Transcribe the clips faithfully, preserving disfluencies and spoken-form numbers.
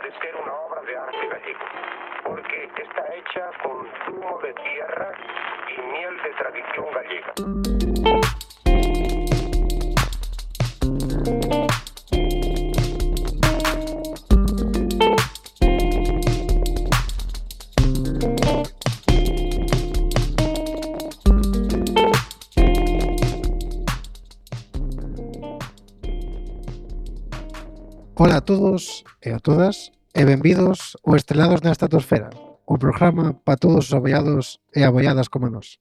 antes que era una obra de arte gallego, porque está hecha con zumo de tierra y miel de tradición gallega. Ola a todos e a todas e benvidos ao Estrelados na Estratosfera, o programa para todos os aboiados e aboiadas como nós.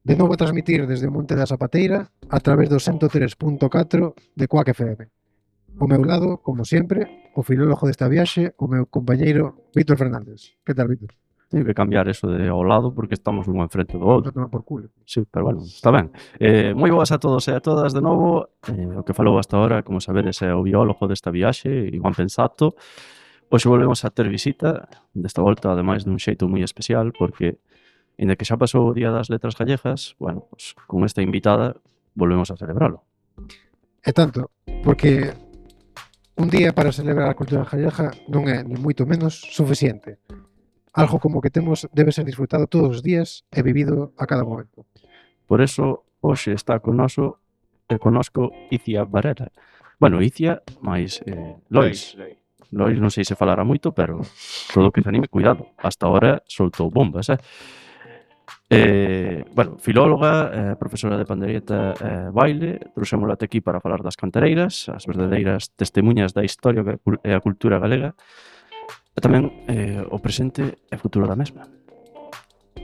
De novo a transmitir desde o Monte da Zapateira a través do ciento tres punto catro de Quack F M. O meu lado, como sempre, o filólogo desta viaxe, o meu compañeiro Víctor Fernández. Que tal, Víctor? Tenho que cambiar eso de ao lado porque estamos un enfrente do outro. Toma por culo. Sí, pero bueno, está ben. Eh, moi boas a todos e a todas de novo. Eh, o que falou hasta ahora, como sabedes, é o biólogo desta viaxe, Iván Pensato. Hoxe volvemos a ter visita, desta volta, ademais, dun xeito moi especial, porque, ainda que xa pasou o Día das Letras Gallegas, bueno, pues, con esta invitada, volvemos a celebralo. E tanto, porque un día para celebrar a cultura gallega non é, ni moito menos, suficiente. Algo como que temos debe ser disfrutado todos os días e vivido a cada momento. Por eso, hoxe está con noso, eh, conosco Icia Varela. Bueno, Icia, máis eh, Lois. Lois non sei se falará moito, pero todo o que se anime, cuidado. Hasta ahora soltou bombas, eh? Eh, bueno, filóloga, eh, profesora de pandeireta e eh, baile, trouxémola até aquí para falar das cantareiras, as verdadeiras testemunhas da historia e a cultura galega, e tamén eh, o presente e futuro da mesma.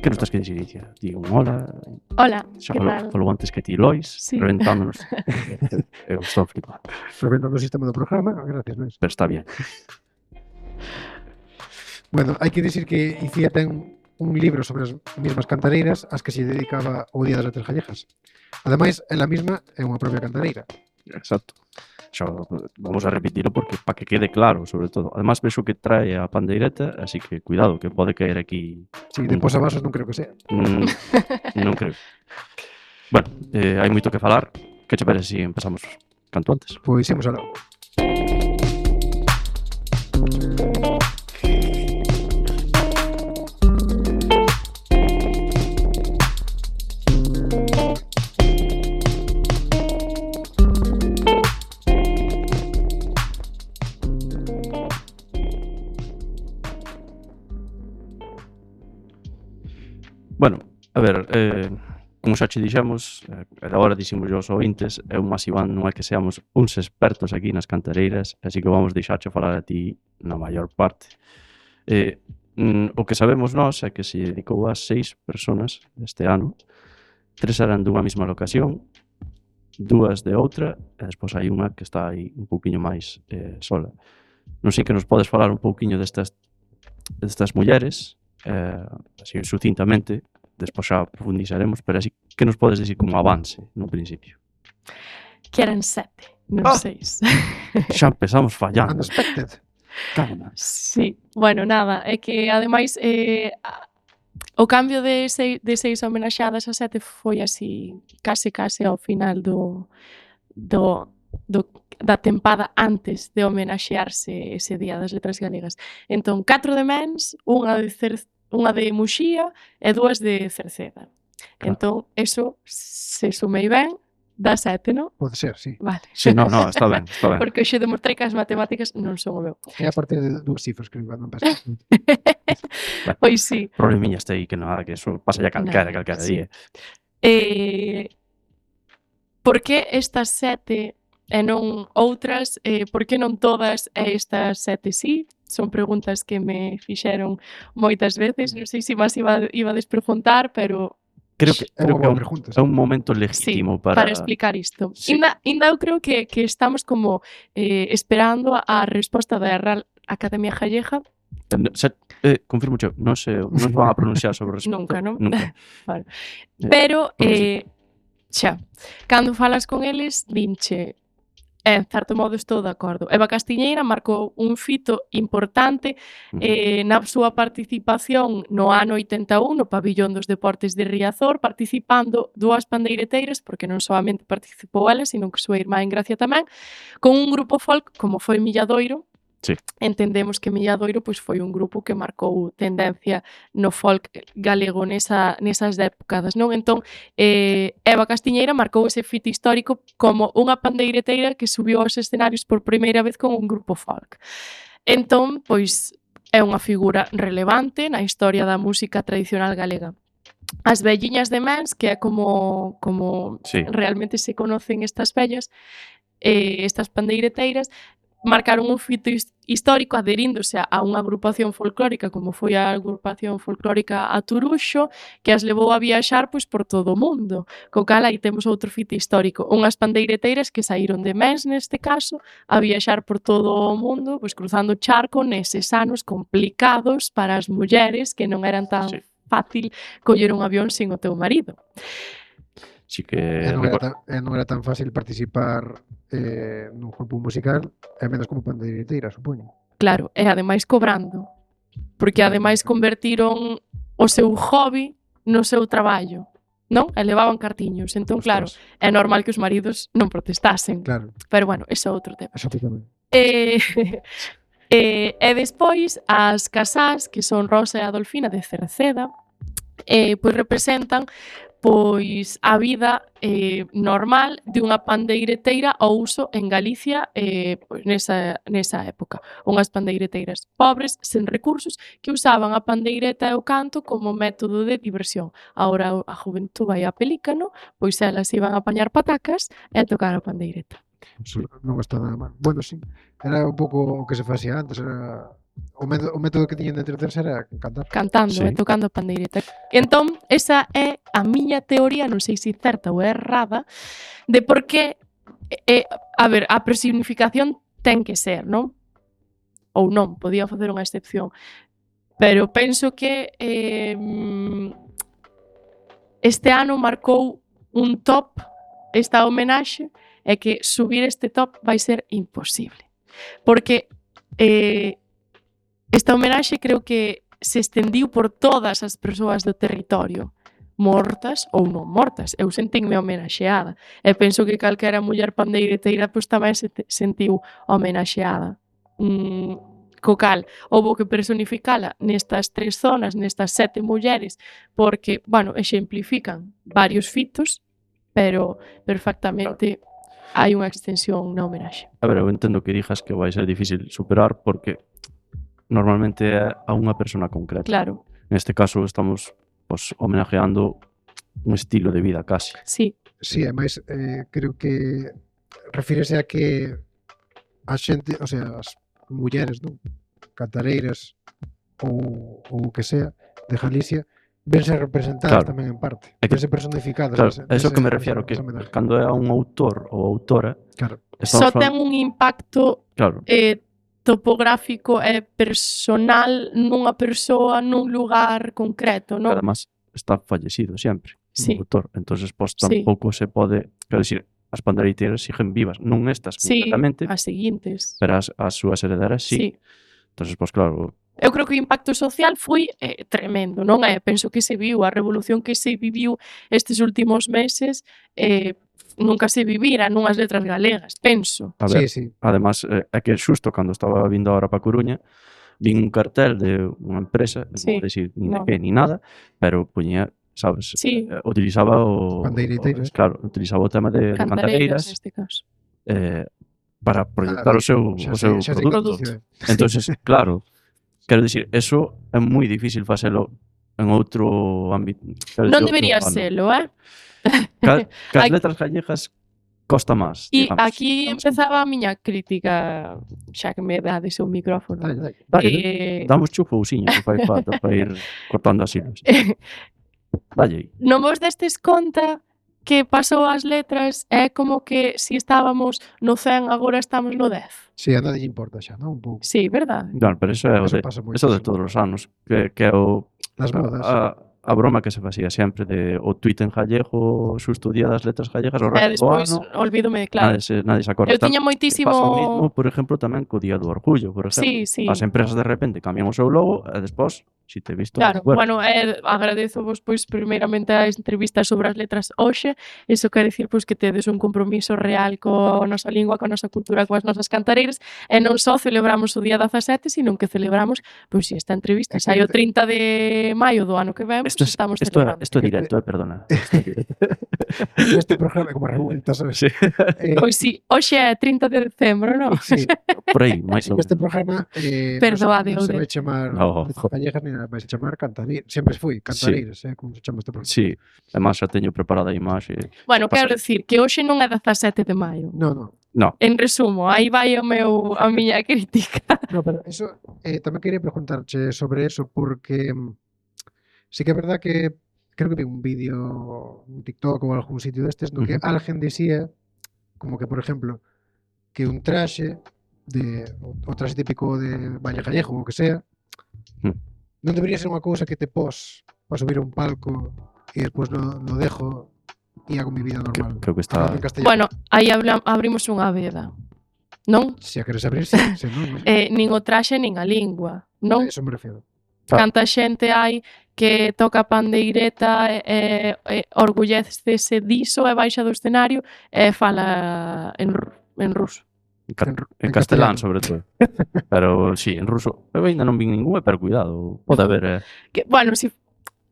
Que nos estás que dicir, Icia? Digo un hola. Hola, Xa que falou, tal? falou antes que ti, Lois, Sí. reventándonos. Eu estou flipando, Reventando o sistema do programa, gracias, Luis. pero está bien. Bueno, hai que dicir que Icía ten un libro sobre as mesmas cantareiras ás que se dedicaba o Día das Letras Gallegas. Ademais, ela mesma é unha propia cantareira. Exacto. Xa, vamos a repetilo porque para que quede claro, sobre todo. Además, vexo que trae a pandeireta, así que cuidado, que pode caer aquí. Si, de posavasos non creo que sea. Mm, non creo. Bueno, eh, hai moito que falar. Que che parece se empezamos canto antes? Pois imos aló. Bueno, a ver, eh, como xa che dixemos, eh, agora dixemos aos ointes, eu máis Iván non é que seamos uns expertos aquí nas cantareiras, así que vamos deixarche falar a ti na maior parte. Eh, mm, o que sabemos nós é que se dedicou a seis personas este ano, tres eran dunha mesma locación, dúas de outra, e despois hai unha que está aí un pouquiño máis eh, sola. Non sei que nos podes falar un pouquiño destas, destas mulleres, eh, así sucintamente, despois xa profundizaremos, pero así que nos podes dicir como avance no principio. Que eran sete, non Ah! seis. Xa empezamos fallando. Unexpected. Calma. Sí, bueno, nada, é que ademais eh, a- o cambio de seis, de seis homenaxadas a sete foi así, case case ao final do, do, do da tempada antes de homenaxearse ese Día das Letras Galegas. Entón, catro de mens, unha de Cer unha de Muxía e dúas de Cerceda. Claro. Entón, eso, se sumei ben, dá sete, non? Pode ser, sí. Vale. Sí, no, no, está ben, está ben. Porque hoxe demostrei que as matemáticas non son o meu. É a partir de dúas cifras que van a pasar. Pois sí. Problemiña este aí que nada, que eso pasa ya calquera, Nada, calquera sí. día. Eh, por que estas sete e non outras? Eh, por que non todas e estas sete sí? Son preguntas que me fixeron moitas veces. Non sei se máis iba, iba a despreguntar, pero Creo que, É creo unha que é boa un, pregunta. é un momento sí, legítimo para, para... explicar isto. Sí. Inda, inda eu creo que, que estamos como eh, esperando a resposta da Real Academia Gallega. Se, eh, confirmo che, non se, non se van a pronunciar sobre o respecto. Nunca, non? Nunca. Vale. Eh, Pero, pois eh, xa, cando falas con eles, dinche, en certo modo estou de acordo. Eva Castiñeira marcou un fito importante eh, na súa participación no ano oitenta e un no Pabillón dos Deportes de Riazor, participando dúas pandeireteiras, porque non solamente participou ela, sino que súa irmá en Gracia tamén, con un grupo folk como foi Milladoiro, Sí. entendemos que Milladoiro pois, foi un grupo que marcou tendencia no folk galego nesa, nesas épocas, non? Entón, eh, Eva Castiñeira marcou ese fito histórico como unha pandeireteira que subiu aos escenarios por primeira vez con un grupo folk. Entón, pois, é unha figura relevante na historia da música tradicional galega. As velliñas de Mens, que é como, como Sí. realmente se conocen estas vellas, eh, estas pandeireteiras, marcaron un fito his- histórico adheríndose a unha agrupación folclórica como foi a agrupación folclórica A Turuxo, que as levou a viaxar pois, por todo o mundo. Co cal aí temos outro fito histórico. Unhas pandeireteiras que saíron de Mens, neste caso, a viaxar por todo o mundo, pois, cruzando o charco neses anos complicados para as mulleres que non eran tan Sí. fácil coller un avión sin o teu marido. Sí que... E non era recor- tan, e non era tan fácil participar eh, nun grupo musical, e menos como pandeireteira, supoño. Claro, e ademais cobrando. Porque ademais convertiron o seu hobby no seu traballo, non? E levaban cartiños. Entón, claro, Ostras. é normal que os maridos non protestasen. Claro, Pero bueno, ese é outro tema. eso ti tamén. E, e, e despois, as casás, que son Rosa e Adolfina de Cerceda, eh, pois representan pois a vida eh, normal de unha pandeireteira ao uso en Galicia eh, pois nesa, nesa época. Unhas pandeireteiras pobres, sen recursos, que usaban a pandeireta e o canto como método de diversión. Ahora a juventud vai a pelícano, pois elas iban a apañar patacas e a tocar a pandeireta. Sí. Non está nada mal. Bueno, sí, era un pouco o que se facía antes, era o método, o método que tiñen de entreterse era cantar. Cantando Sí. e tocando a pandeireta. Entón, esa é a miña teoría, non sei se certa ou errada, de por que, eh, a ver, a personificación ten que ser, non? Ou non, podía facer unha excepción. Pero penso que eh, este ano marcou un top esta homenaxe e que subir este top vai ser imposible. Porque eh, esta homenaxe creo que se estendiu por todas as persoas do territorio, mortas ou non mortas. Eu sentinme homenaxeada. E penso que calquera muller pandeireteira pois tamén se te- sentiu homenaxeada. Mm, co cal, houbo que personificala nestas tres zonas, nestas sete mulleres, porque, bueno, exemplifican varios fitos, pero perfectamente hai unha extensión na homenaxe. A ver, eu entendo que digas que vai ser difícil superar porque normalmente é a unha persona concreta. Claro, Neste caso estamos pues, homenajeando un estilo de vida casi. sí, Sí, ademais, eh, creo que refírese a que a xente, o sea, as mulleres, non? Cantareiras ou, ou o que sea de Galicia, vense representadas Claro. tamén en parte. É que- Vense personificadas. Claro, nese- é iso nese- que me nesa- refiero, que nesa homenaxe. cando é a un autor ou autora, Claro, só estamos ten falando, un impacto claro, eh, topográfico e personal nunha persoa nun lugar concreto, que non? además está fallecido sempre, Sí. o autor. Entonces, pues Sí. tampouco se pode, quero dicir, as pandeireteiras siguen vivas, non estas Sí, concretamente, as seguintes. pero as, as súas herederas sí. Sí. Entonces, pues claro, Eu creo que o impacto social foi eh, tremendo, non é? Penso que se viu, a revolución que se viviu estes últimos meses eh, nunca se vivira nunhas letras galegas, penso. a ver, sí, sí. además, eh, é que xusto cando estaba vindo agora para Coruña, vin un cartel de unha empresa, non Sí, vou decir ni de no. que ni nada, pero poñía, sabes, Sí. eh, utilizaba o, Pandeireteiras. o claro, utilizaba o tema de, de Cantareiras, cantareiras neste caso. eh, para proyectar Ah, o seu, xa o sei, seu xa sei que produto. funciona. Entonces, claro, quero dicir, eso é moi difícil facelo en outro ámbito. quero Non dicir, outro debería ano. selo, eh? Ca, que as Aquí- letras gallegas costa máis, E digamos. aquí empezaba a miña crítica, xa que me dades o micrófono. Dale, dale. Dale, Eh, damos chupousiño que fai falta para ir cortando as hilos. Dalle aí. non vos destes conta que pasou as letras é como que si estábamos no cen agora estamos no dez. Sí, a nadie lle importa xa, non? Un pouco. Sí, verdade? Claro, pero eso é o Eso de, pasa eso de moitísimo. todos os anos, que, que é o, Las modas. a, a broma que se facía sempre de o tuit en gallego, xusto o día das letras gallegas, o E resto do despois, ano, olvídome, claro. nadie se, nadie se acorda. Eu tiña Tam- moitísimo... Pasa o mismo, por exemplo, tamén co Día do Orgullo, por exemplo. Sí, sí. As empresas de repente cambian o seu logo e despois si te he visto. Claro, bueno, eh, agradezo vos pois primeiramente a entrevista sobre as letras hoxe. Iso quere dicir pois que tedes un compromiso real coa nosa lingua, coa nosa cultura, coas nosas cantareiras, e non só celebramos o día dezasete, sino que celebramos pois esta entrevista. Sai o trinta de maio do ano que ven, Esto pois es, estamos esto, celebrando. esto é directo, eh, perdona. Este programa é como revuelta, sabes? Sí. Eh, Pois si, hoxe é trinta de decembro, non? sí, Por aí, máis ou este menos. programa eh, Perdoade, non se, non se Ode. vai chamar No, jo. Callejas ni nada, vai se chamar Cantareiras. Sempre fui Cantareiras, eh, como se chama este programa. Sí, además xa teño preparada a imaxe. Bueno, Pasa. quero dicir que hoxe non é dezasete de maio. No, no. No, En resumo, aí vai o meu, a miña crítica. No, pero eso, eh, tamén quería preguntarche sobre eso, porque mm, sí que é verdad que creo que vi un vídeo, un TikTok ou algún sitio destes, no que Ujú. alguén dicía, como que, por exemplo, que un traxe de, o, o traxe típico de Valle Gallejo, ou o que sea, Mm. non debería ser unha cousa que te pos para subir a un palco e despois lo, lo dejo e hago mi vida que, normal. creo que está... Falando en castellano. Bueno, aí habla, abrimos unha veda, non? Se a queres abrir, sí, se non, non. Eh, nin o traxe nin a lingua, non? Eso me refiero. Ah. Canta xente hai que toca a pandeireta e, e, e orgullécese diso e baixa do escenario e fala en, ru- en ruso. En, ca- En ru- en en castelán, castellano. sobre todo. Pero sí, en ruso. Eu ainda non vi ningún, pero cuidado. Pode haber... Eh. Que, bueno, si,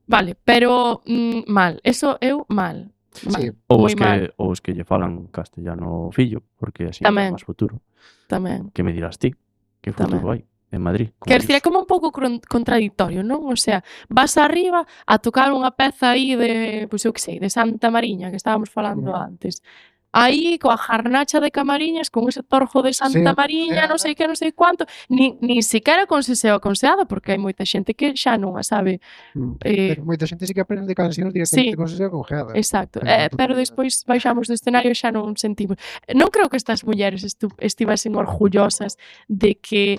vale, pero mm, mal, eso eu mal. mal Sí. Ou moi os mal, que, ou os que lle falan castellano fillo, porque así Tamén. é máis futuro. tamén. Que me dirás ti? Que futuro hai en Madrid? Como Quer dicir, é dices? como un pouco cron- contradictorio, non? O sea, vas arriba a tocar unha peza aí de, pois eu que sei, de Santa Mariña, que estábamos falando Ujú. antes. Aí, coa jarnacha de Camariñas, con ese torjo de Santa Sí, Mariña, é- non sei que, non sei cuánto, ni, ni siquiera con seseo aconseada, porque hai moita xente que xa non a sabe. Mm. Eh, Pero moita xente sí que aprende cancións directamente sí. con sesión congeada. Exacto, Pero eh, non pero todo- despois baixamos do escenario e xa non sentimos. Non creo que estas mulleres estu- estivesen orgullosas de que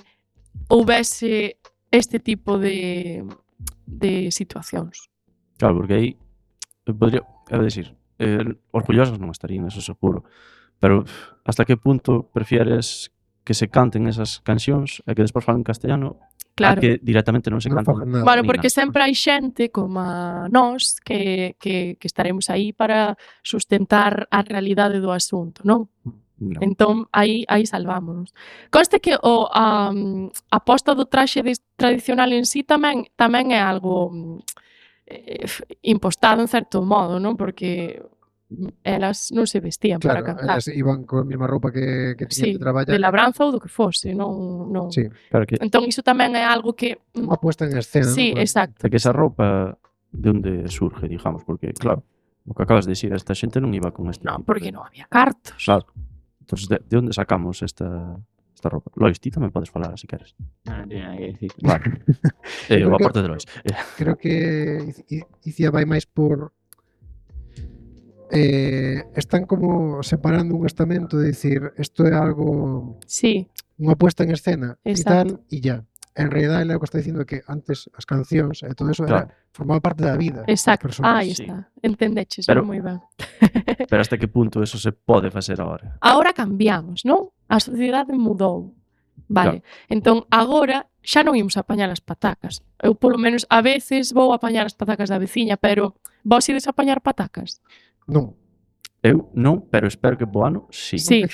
houbese este tipo de, de situacións. Claro, porque aí eu podría, é dicir, eh, orgullosos non estarían, eso seguro. Pero pff, hasta que punto prefieres que se canten esas cancións e que despois falan castellano Claro. a que directamente non se Non canten? fagan nada. Bueno, nin porque nada. sempre hai xente como a nós que, que, que estaremos aí para sustentar a realidade do asunto, non? No. Entón, aí, aí salvámonos. Conste que o, a, a posta do traxe de, tradicional en sí tamén, tamén é algo mm, eh, f- impostado en certo modo, non? Porque elas non se vestían Claro, para cantar. elas iban con a mesma roupa que, que Sí, tiñan que traballar. de labranza ou do que fose, non, non. Sí, Claro que, Entón, iso tamén é algo que... mm, unha puesta en escena. sí, non? exacto. é que esa roupa de onde surge, digamos, porque claro, o que acabas de decir, esta xente non iba con este Non, tipo porque de- non había cartos. Claro. Entonces, de, de onde sacamos esta esta roupa? Lois, ti tamén podes falar, se queres. Non, non tiene nada que decir. Vale. eh, Creo o que- aporte de Lois. Eh, Creo que I- I- Icía vai máis por eh, están como separando un estamento de decir isto é algo, Sí, unha puesta en escena e Exacto. tal, e ya. En realidad, ele o que está dicindo é que antes as cancións e todo eso Claro. era, formaba parte da vida das exacto. persoas. Aí sí. está. Entendeches, Pero- moi ben. pero hasta que punto eso se pode facer agora? Agora cambiamos, non? A sociedade mudou. Vale. Entón, agora xa non imos a apañar as patacas. Eu, polo menos, a veces vou a apañar as patacas da veciña, pero vos ides a apañar patacas? Non. Eu non, pero espero que po ano sí. Sí.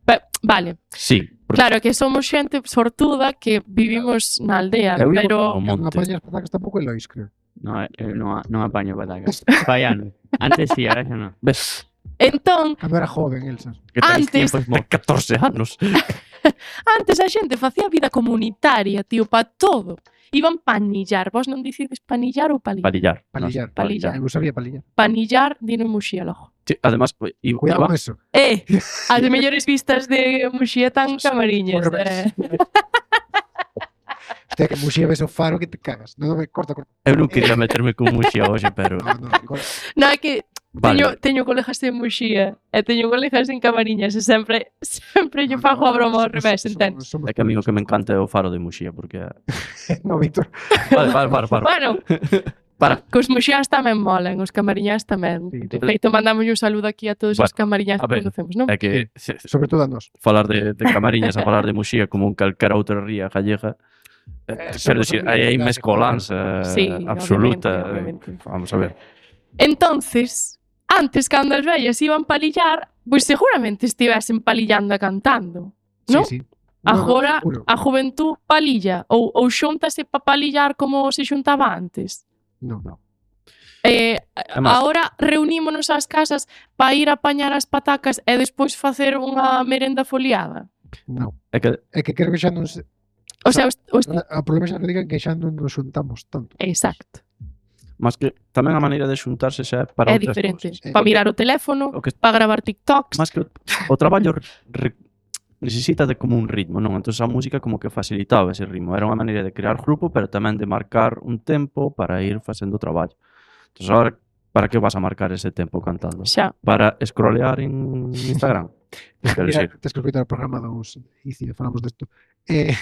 Pe- vale. Sí. Porque Claro que somos xente sortuda que vivimos na aldea, eu iba pero... ao Non monte. apañas patacas tampouco é Lois, creo. No, eu non, a- non apaño patacas. Fai anos. Antes sí, ahora xa non. Ves? Entón, Cando era joven, Elsa. Que tenéis Antes- tiempos mo catorce anos. antes a xente facía vida comunitaria, tío, pa todo. Iban panillar. Vos non dicides panillar ou palillar? Palillar. Palillar. Nos- Palillar. Eu sabía palillar. Panillar, dino en Muxía logo. Sí, además, iba, Cuidado iba, con eso. Eh, as mellores vistas de Muxía tan camariñas. Por Eh. Hostia, que Muxía ves o faro que te cagas. Non, me corta, corta. eu non quería meterme con Muxía hoxe, pero No, no, corta. Non, é que vale. teño, teño colegas en Muxía e teño colegas en Camariñas e sempre sempre lle fago a broma ao revés, entendes? Somos, É que a mí o que me encanta é o faro de Muxía, porque... No, Víctor. Vale, vale, para, para. Bueno, Para. cos muxiáns tamén molan, os camariñás tamén. Sí, De feito, mandamos un saludo aquí a todos os Bueno, camariñás a que ver, conocemos, non? É que se- Sobre todo a nós. falar de, de Camariñas a falar de Muxía como un calquera outra ría gallega Eh, Eso Quero no dicir, son aí hai habilidades, mescolanza Sí, absoluta. obviamente, obviamente. Vamos a ver. Entonces, antes, cando as vellas iban palillar, pois seguramente estivesen palillando e cantando, non? Sí, sí. No, no, Agora, seguro. a juventud palilla ou, ou xúntase pa palillar como se xuntaba antes. No, no. Eh, Además- agora reunímonos ás casas pa ir a apañar as patacas e despois facer unha merenda foliada. No. É que É que creo que xa non se... O sea, os, os... O problema xa que digan que xa non nos xuntamos tanto. Exacto. máis que tamén a maneira de xuntarse xa é para É outras diferente. cousas. Eh, Pa mirar o teléfono, O que pa gravar TikToks. máis que o, o traballo re, necesita de como un ritmo, non? Entón a música como que facilitaba ese ritmo. Era unha maneira de crear grupo, pero tamén de marcar un tempo para ir facendo o traballo. Entón agora, para que vas a marcar ese tempo cantando? Xa. Para scrollear en Instagram? Quero Mira, dicir, tes que escoitar o programa dos ICI, falamos desto. Eh,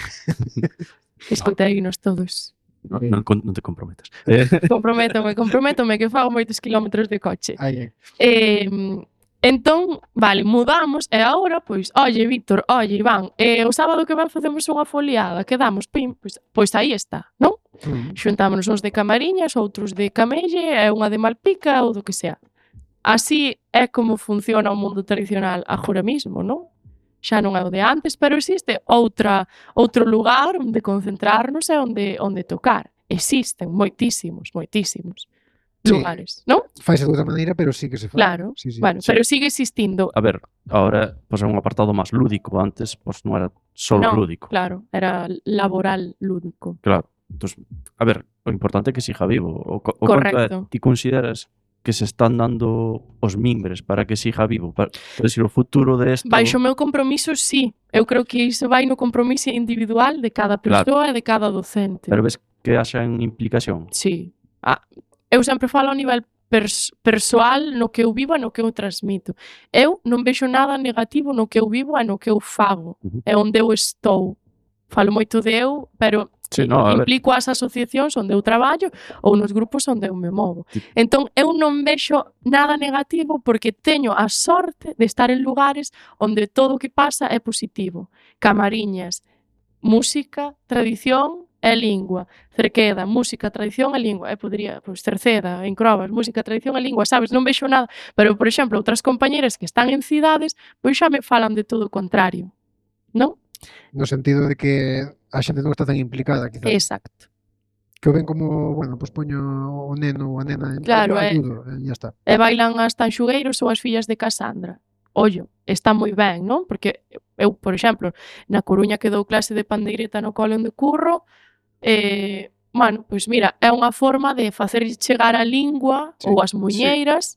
Escoiteinos todos. non, non, con- non te comprometas. Eh, Comprométome, comprométome que fago moitos kilómetros de coche. ai, ai. Eh, entón, vale, mudamos e agora, pois, oye, Víctor, oye, Iván, eh, o sábado que ven facemos unha foliada, quedamos, pim, pois, pois aí está, non? Mm. Xuntámonos uns de Camariñas, outros de Camelle e unha de Malpica ou do que sea. Así é como funciona o mundo tradicional agora mismo, non? Xa non é o de antes, pero existe outra outro lugar onde concentrarnos e onde onde tocar. Existen moitísimos, moitísimos Sí. lugares, non? Faise de outra maneira, pero sí que se fai. Claro. Sí, sí. Bueno, Sí. pero sigue existindo. a ver, ahora pois é un apartado máis lúdico. Antes pois non era só Non, lúdico. claro, era laboral lúdico. Claro. Entón, a ver, o importante é que siga vivo. O, co- o Correcto. conto é, ti consideras que se están dando os mimbres para que siga vivo? Para, para decir, o futuro de esto... Baixo o meu compromiso, sí. Eu creo que iso vai no compromiso individual de cada Claro. persoa e de cada docente. Pero ves que haxa en implicación? Sí. Ah, eu sempre falo a nivel pers persoal no que eu vivo e no que eu transmito. Eu non vexo nada negativo no que eu vivo e no que eu fago. Ujú. É onde eu estou. Falo moito de eu, pero Sí, no, a ver. implico as asociacións onde eu traballo ou nos grupos onde eu me movo. Sí. Entón, eu non vexo nada negativo porque teño a sorte de estar en lugares onde todo o que pasa é positivo. Camariñas, música, tradición e lingua. Cerqueda, música, tradición e lingua. E podría, pois, Cerceda, en Crobas, música, tradición e lingua, sabes? Non vexo nada. Pero, por exemplo, outras compañeras que están en cidades, pois xa me falan de todo o contrario. Non? No sentido de que a xente non está tan implicada, quizás. Exacto. Que o ven como, bueno, pois pues poño o neno ou a nena en Claro, é. ayudo, e ya está. E bailan as tanxugueiros ou as fillas de Casandra. Ollo, está moi ben, non? Porque eu, por exemplo, na Coruña que dou clase de pandeireta no cole onde curro, eh, bueno, pois mira, é unha forma de facer chegar a lingua Sí, ou as muñeiras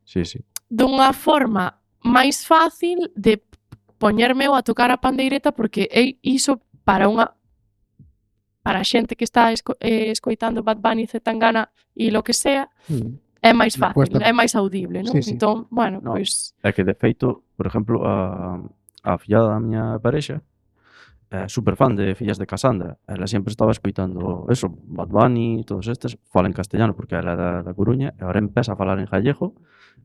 Sí, sí. dunha forma máis fácil de poñerme eu a tocar a pandeireta porque é iso para unha para a xente que está esco, eh, escoitando Bad Bunny, Zetangana e lo que sea, Mm. é máis Me fácil, cuesta. é máis audible, non? Sí, sí. Entón, bueno, No. pois É que, de feito, por exemplo, a, a fillada da miña parexa é super fan de Fillas de Casandra. Ela sempre estaba escoitando eso, Bad Bunny, todos estes, fala en castellano porque ela é da, da Coruña, e agora empeza a falar en gallego.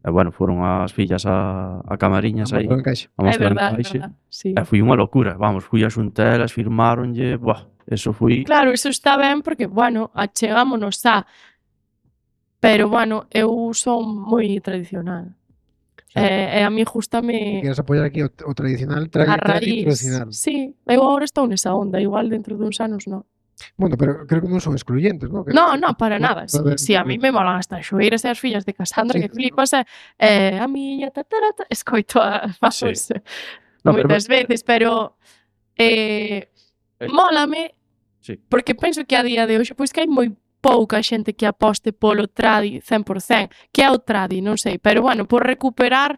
E, bueno, foron as fillas a, a Camariñas aí, Amor, encaixe. a é mostrar en verdade, é caixe. verdade. Sí. E foi unha locura, vamos, fui a xuntelas, firmaronlle, buah, eso foi... Claro, eso está ben porque, bueno, achegámonos a pero, bueno, eu son moi tradicional. Sí. E, e a mí Se gustame queres apoiar aquí o, o tradicional, tra a tradi raíz. tradicional. Sí, eu agora estou nesa onda, igual dentro duns anos non. Bueno, pero creo que non son excluyentes, ¿no? Que, No, no, para no, nada. Si, a ver, si a mí me molan as tanxueiras e as fillas de Casandra, Sí. que flipas, e eh, a miña tatarata, escoito a, vamos, Sí. No, pero- moitas veces, pero eh, Eh. mólame, Sí. porque penso que a día de hoxe, pois que hai moi pouca xente que aposte polo tradi cen por cen, que é o tradi, non sei, pero bueno, por recuperar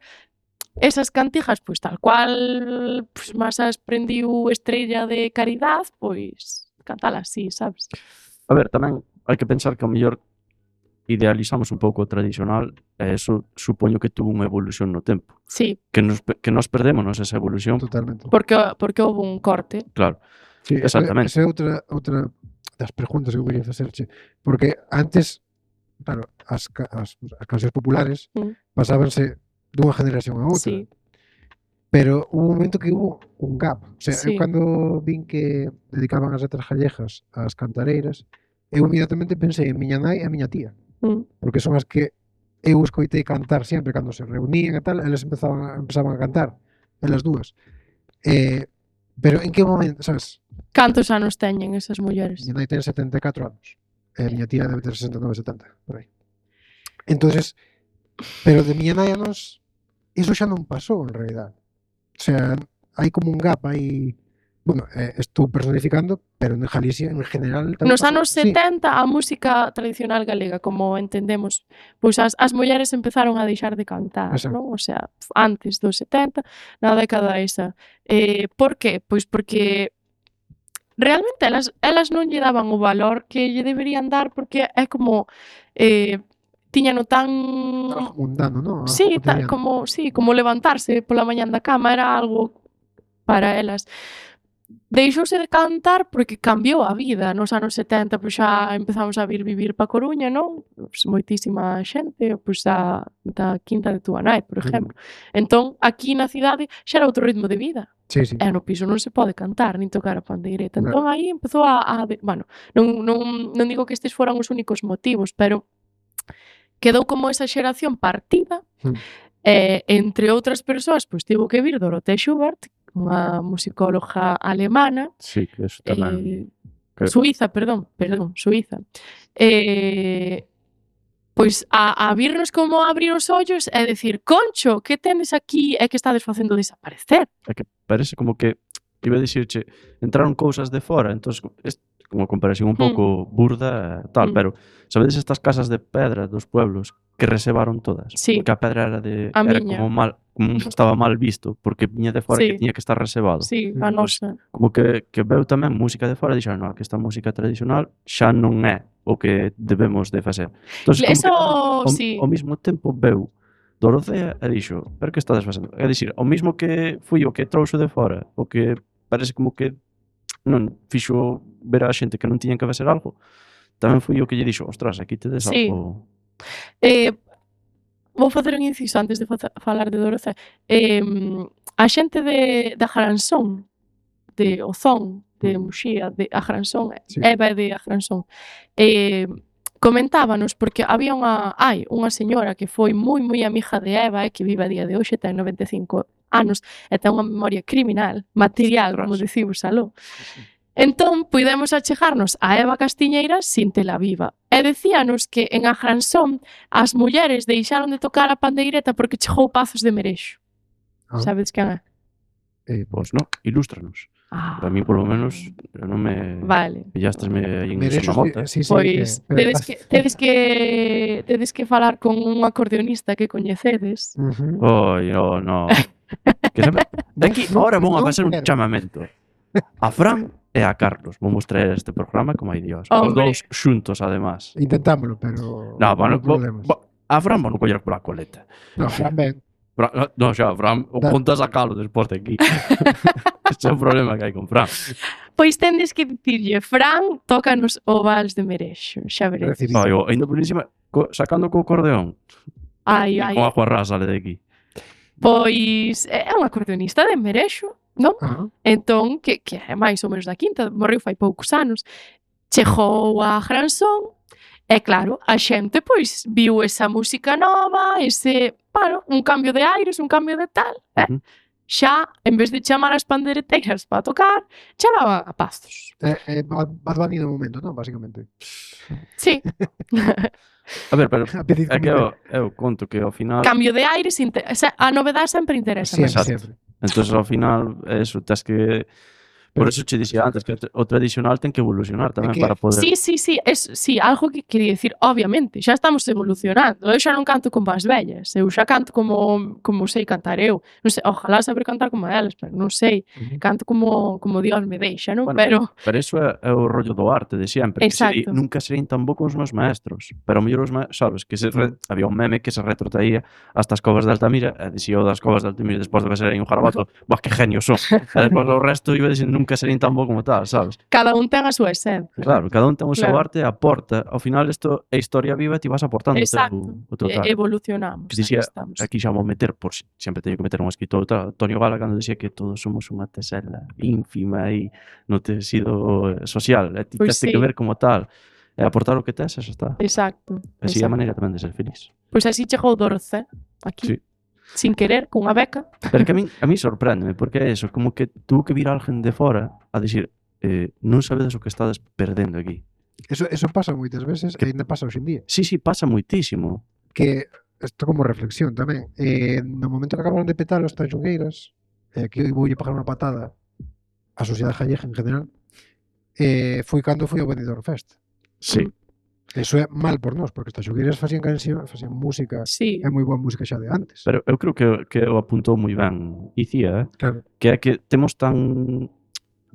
esas cantigas, pois tal cual, pois máis as prendiu Estrella de Caridad, pois cantala así, sabes? A ver, tamén hai que pensar que ao mellor idealizamos un pouco o tradicional e eso supoño que tuvo unha evolución no tempo. Sí, Que nos, pe- que nos perdémonos esa evolución, Totalmente. porque porque houve un corte. claro. Sí, esa- Exactamente. Esa é outra, outra das preguntas que eu quería facerche. Porque antes, claro, as, ca- as, as cancións populares Mm. pasábanse dunha generación a outra. Sí. Pero hubo un momento que hubo un gap. O sea, Sí. eu cando vin que dedicaban as letras gallegas ás cantareiras, eu inmediatamente pensei en miña nai e a miña tía, Mm. porque son as que eu escoitei cantar sempre cando se reunían e tal, elas empezaban, empezaban a cantar, elas dúas. Eh, pero en que momento, sabes? Cantos anos teñen esas mulleres? Miña nai ten setenta e catro anos, e a miña tía debe ter sesenta e nove, setenta, por aí. Entonces, pero de miña nai a nos, iso xa non pasou en realidad. O sea, hai como un gap aí. Bueno, eh, estou personificando, pero en Galicia en general tamén Nos pasou. anos Sí, setenta a música tradicional galega, como entendemos, pois as, as mulleres empezaron a deixar de cantar, Exacto. non? O sea, antes dos setenta, na década esa. Eh, por que? Pois porque realmente elas, elas non lle daban o valor que lle deberían dar, porque é como eh, tiñano tan algo mundano, ¿no? Algo sí, ta, cotidiano. como sí, como levantarse pola mañán da cama era algo para elas. Deixouse de cantar porque cambiou a vida. Nos anos setenta pois xa empezamos a vir vivir pa Coruña, non? Pois moitísima xente, pois da, da Quinta de Tuanai, por exemplo. Entón, aquí na cidade xa era outro ritmo de vida. Sí, sí. E no piso non se pode cantar nin tocar a pandeireta. Claro. Entón aí empezou a, a de, bueno, non, non, non digo que estes foran os únicos motivos, pero quedou como esa xeración partida. Mm. E, entre outras persoas, pois tivo que vir Dorothea Schubert, unha musicóloga alemana, Sí, que eso tamén. eh, que- Suiza, perdón, perdón, Suiza. Eh, pois a, a virnos como a abrir os ollos e decir, Concho, que tendes aquí e que estades facendo desaparecer? É que parece como que iba a dicirche, entraron cousas de fora, entonces es como comparación un pouco burda e tal, Mm. pero sabedes estas casas de pedra dos pueblos que reservaron todas? Sí. Porque a pedra era de A era miña. como mal, como estaba mal visto, porque viña de fora Sí. que tiña que estar reservado. Sí, a Pois, nosa. como que, que veu tamén música de fora e dixeron, no, que esta música tradicional xa non é o que debemos de facer. Entonces, como Eso, que, ao, sí. ao mesmo tempo veu Dorothea e dixo, pero que estades facendo? É dicir, ao mesmo que fui o que trouxo de fora, o que parece como que non fixo ver a xente que non tiñan que facer algo, tamén fui o que lle dixo, ostras, aquí tedes Sí. algo. Eh, vou facer un inciso antes de faza- falar de Dorothea. Eh, a xente de, da Jaransón, de Ozón, de Muxía, de Ajransón, Sí. Eva é de Ajransón, eh, comentábanos, porque había unha, hai unha señora que foi moi moi amiga de Eva e que vive a día de hoxe, ten noventa e cinco anos e ten unha memoria criminal, material, como Ostras. dicimos aló. Entón, puidemos achegarnos a Eva Castiñeira sin tela viva. E decíanos que en Ajransón as mulleres deixaron de tocar a pandeireta porque chegou Pazos de Merexo. Ah. Sabedes quen é? Eh, Pois non, ilústranos. Ah, Para mí, polo menos, eu non me vale. pillastesme aí en Merexo, Sonamota. sí, sí, Pois que- tedes que tedes que tedes que falar con un acordeonista que coñecedes. Ujú. Oi, no, no. Que sabe, de aquí, Non- ahora vou a non facer un quero. chamamento a Fran e a Carlos. Vamos traer este programa como hai Dios. Os Hombre. dous xuntos, además. Intentámoslo, pero No, bueno, non problemas. bo- a Fran vou non coller pola coleta. No, Fran ben. Fran, no, xa, Fran, o Da- contas a calo despois de aquí. Ese é o problema que hai con Fran. Pois tendes que dicirlle, Fran, tócanos o vals de Merexo, xa veredes. Recibí. Ai, o- ainda por encima, co, sacando co acordeón. Ai, ai. Con a Juarra sale de aquí. Pois é un acordeonista de Merexo, non? Ajá. Entón, que, que é máis ou menos da quinta, morreu fai poucos anos, chegou a Gransón, e claro, a xente pois viu esa música nova, ese, bueno, un cambio de aires, un cambio de tal, e Ujú. xa, en vez de chamar as pandereteiras para tocar, chamaban a Pazos. Eh, eh, Bad Bad Bunny no momento, non? Básicamente. Sí, A ver, pero A pedir é que como- eu, eu conto que ao final... cambio de aires, inte- o sea, a novedade sempre interesa. Siempre, Exacto. siempre. Entonces ao final, eso, tes que... Por Pero- eso che dixía antes que o tra- o tradicional ten que evolucionar tamén que- para poder... Sí, sí, sí, es, sí, algo que quería decir, obviamente, xa estamos evolucionando. Eu xa non canto como as vellas, eu xa canto como como sei cantar eu. Non sei, ojalá saber cantar como elas, pero non sei. Ujú. Canto como como Dios me deixa, non? Bueno, Pero Pero eso é, é o rollo do arte de sempre. Que seri, Exacto. nunca serían tan bo como os meus maestros. Pero ao mellor os maestros, sabes, que se re, había un meme que se retrotraía hasta as covas de Altamira e dicía o das covas de Altamira despois de que ser aí un jarabato, bah, que genio son. E despois o resto iba dicindo, nunca serían tan bo como tal, sabes? Cada un ten a súa esencia. Claro, cada un ten o seu Claro. arte e aporta. Ao final, isto é historia viva e ti vas aportando o Exacto. teu, o teu E- tal. Evolucionamos. Que dicía, aí estamos. aquí xa vou meter, por si- sempre teño que meter un escritor, tal, Antonio Gala, cando dicía que todos somos unha tesela ínfima e no tecido eh, social, e ti Pois tens que sí. ver como tal, e aportar o que tes, e xa está. Exacto. Así é a exacto. maneira tamén de ser feliz. Pois así chegou Dorce, aquí. Sí. Sin querer, cunha beca. Pero que a mí, a mí sorpréndeme, porque é eso, como que tuvo que vir alguén de fora a dicir, eh, non sabedes o que estades perdendo aquí. Eso, eso pasa moitas veces e ainda pasa hoxe en día. Sí, sí, pasa moitísimo. Que isto como reflexión tamén. Eh, no momento que acabaron de petar os tanxugueiras, eh, que voulle pagar unha patada a sociedade gallega en general, eh, foi cando foi ao Benidorm Fest. Sí. Eso é mal por nós, porque os tanxugueiras facían canción, facían música, Sí. é moi boa música xa de antes. Pero eu creo que, que o apuntou moi ben Icía, eh? Claro. Que é que temos tan...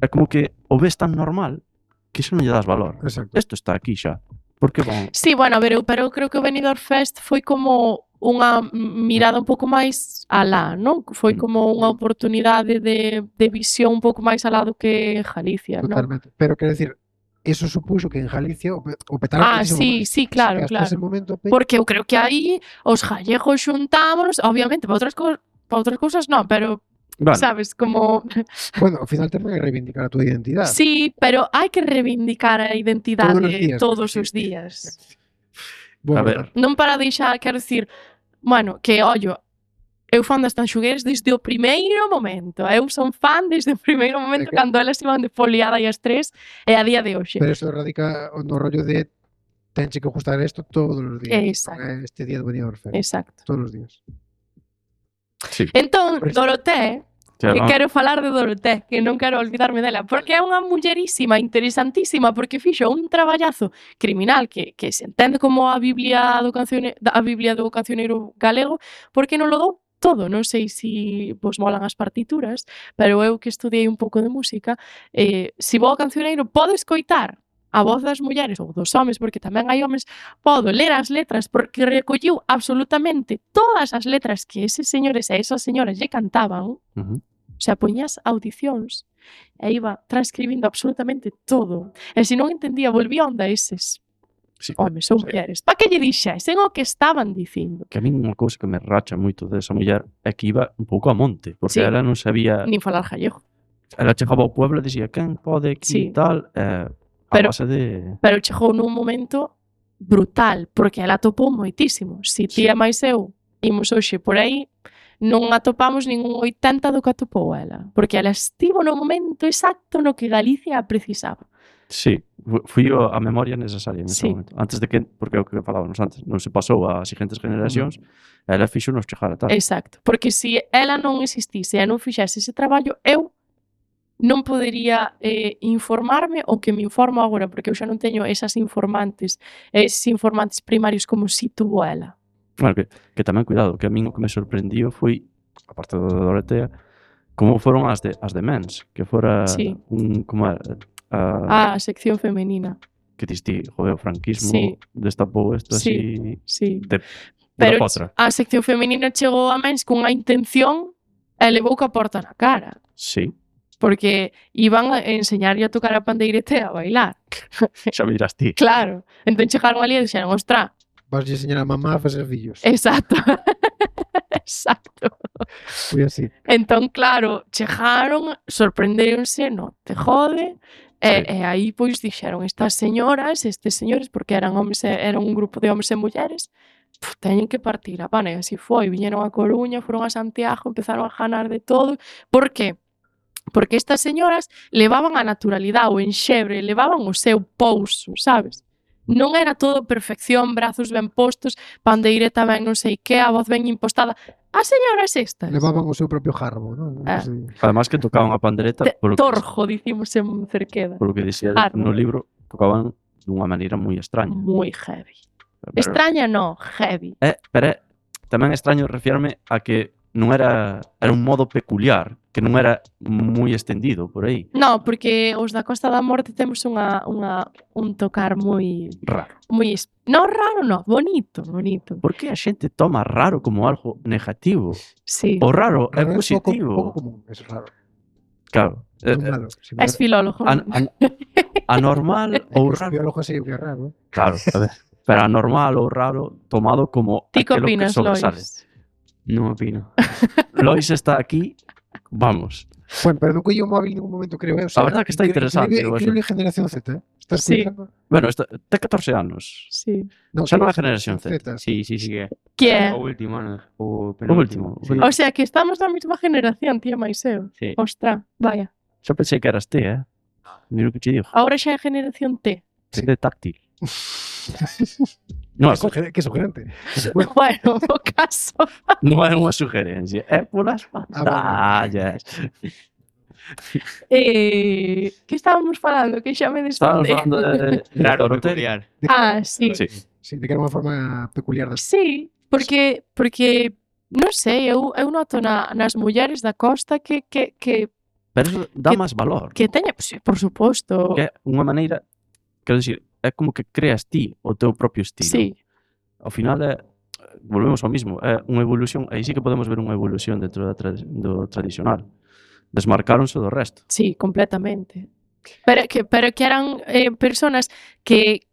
É como que o ves tan normal que xa non lle das valor. Exacto. Isto está aquí xa. Por que van? Sí, bueno, a ver, eu, pero eu creo que o Benidorm Fest foi como unha mirada un pouco máis alá, non? Foi Mm. como unha oportunidade de, de visión un pouco máis alá do que Galicia, non? Totalmente. Pero quero decir, eso supuxo que en Galicia o, pe- o petaron Ah, muchísimo sí, máis. sí, claro, Que hasta claro. ese momento pe- Porque eu creo que aí os gallegos xuntámonos, obviamente, para outras, co para outras cousas non, pero, Bueno, sabes, como... bueno, ao final tamén é reivindicar a túa identidade. Sí, pero hai que reivindicar a identidade Todos os días, todos sí. os días. Bueno, a ver, Non para deixar, quero dicir, bueno, que, ollo, eu fan das Tanxugueiras desde o primeiro momento. Eu son fan desde o primeiro momento É que- cando elas iban de foliada e as tres e a día de hoxe. pero eso radica no rollo de tenche que gustar isto todos os días. Exacto. Non é este día do Benidorm Fest. Exacto. Todos os días. sí. Entón, Por eso- Doroté, Que, que ah, quero falar de Doroté, que non quero olvidarme dela, porque é unha mullerísima interesantísima, porque fixo un traballazo criminal que, que se entende como a Biblia do cancione, a Biblia do cancioneiro galego, porque non lo dou todo. Non sei se vos molan as partituras, pero eu que estudiei un pouco de música, eh, se vou ao cancioneiro podo escoitar a voz das mulleres ou dos homes, porque tamén hai homes, podo ler as letras porque recolliu absolutamente todas as letras que eses señores e esas señoras lle cantaban. ujú. O sea, poñías audicións e iba transcribindo absolutamente todo. E se non entendía, volvía onda eses Sí. homes ou Sí. mulleres. Pa que lle dixesen o que estaban dicindo? Que a min unha cousa que me racha moito desa muller é que iba un pouco a monte, porque Sí. ela non sabía... Nin falar gallego. Ela chegaba ao pueblo e dicía, quen pode aquí Sí. e tal, eh, a Pero- base de... Pero chegou nun momento brutal, porque ela atopou moitísimo. Si ti Sí. e máis eu imos hoxe por aí, non atopamos ningún oitenta do que atopou ela. Porque ela estivo no momento exacto no que Galicia a precisaba. Sí, fu- fui o- a memoria necesaria nese Sí. momento. Antes de que, porque é o que falábamos antes, non se pasou ás seguintes generacións, ela fixo nos chegar a tal. Exacto. Porque se ela non existise e non fixese ese traballo, eu non podería eh, informarme o que me informo agora, porque eu xa non teño esas informantes, eses informantes primarios como si tuvo ela. Bueno, que, que tamén cuidado, que a min o que me sorprendiu foi, aparte do Dorotea, como foron as de, as de Mens, que fora Sí. un, como era, a, A sección femenina. que diste, joder, o franquismo Sí. destapou isto Sí. así Sí. de Pero pura potra. a sección femenina chegou a Mens cunha intención e levou ca porta na cara. Sí, Porque iban a enseñarlle a tocar a pandeirete e a bailar. xa me dirás ti. Claro. Entón chegaron ali e dixeron, ostra, Vas a enseñar a mamá a facer fillos. exacto. Exacto. Foi así. Entón, claro, chegaron, sorprendéronse, no te jode, e, Sí. e aí pois dixeron estas señoras, estes señores, porque eran homes, e- eran un grupo de homes e mulleres, puf, teñen que partir a pan, e así foi, viñeron a Coruña, foron a Santiago, empezaron a ganar de todo. Por que? Porque estas señoras levaban a naturalidade, o enxebre, levaban o seu pouso, sabes? Non era todo perfección, brazos ben postos, pandeireta ben non sei que, a voz ben impostada. As señoras estas. Levaban o seu propio jarbo, non? Ah. Sí. Además que tocaban a pandereta, Te- polo que, Torjo, dicimos en Cerqueda. polo que dicía Árbol. no libro, tocaban dunha maneira moi extraña. Moi heavy. Pero- Extraña no, heavy. É, pero é tamén extraño refirme a que non era era un modo peculiar, que non era moi estendido por aí, No, porque os da Costa da Morte temos unha, unha, un tocar moi... raro. moi es- no, raro no, bonito, bonito. Por que a xente toma raro como algo negativo? Sí. O raro é Raro é pouco, positivo. pouco común, é raro. Claro. Eh, Non eh, malo. Si És filólogo. an, an, anormal ou Os raro. biólogos sei o que é raro. Claro, a ver. Pero anormal ou raro tomado como Ti que aquilo que opinas, sobresale. Lois? Non opino. Lois está aquí, vamos. Bueno, pero non collo o móvil en ningún momento, creo. Eh? O A verdad que está interesante, Increíble, o increíble generación Z, eh? Estás Sí. pensando? Bueno, esta, ten catorce anos. Sí. No, Xa non é que- generación Z. Sí, sí, sí que é. Que é? O último, non? O O penúltimo. último. Sí. O sea, que estamos na mesma generación, tía máis eu. Sí. Ostra, vaya. Xa pensei que eras ti, eh? Mira o que te digo. Ahora xa é generación T. Sí. De táctil. Non, Que, suger- que sugerente. Bueno, Bueno, o caso. non é unha sugerencia, é polas bueno. pantallas. Eh, que estábamos falando? Que xa me Estábamos desfondei. falando de... Raro, de peculiar. Ah, sí. Sí. sí, de que era unha forma peculiar das... Sí, porque porque non sei, eu, eu noto na, nas mulleres da costa que que que Pero eso dá Que- máis valor. que teña, pues, por suposto. Que é unha maneira, quero dicir, é como que creas ti o teu propio estilo. Sí, Ao final é, volvemos ao mismo, é unha evolución, aí sí que podemos ver unha evolución dentro da tradi do tradicional. Desmarcaronse do resto. sí, completamente. Pero que pero que eran eh, personas que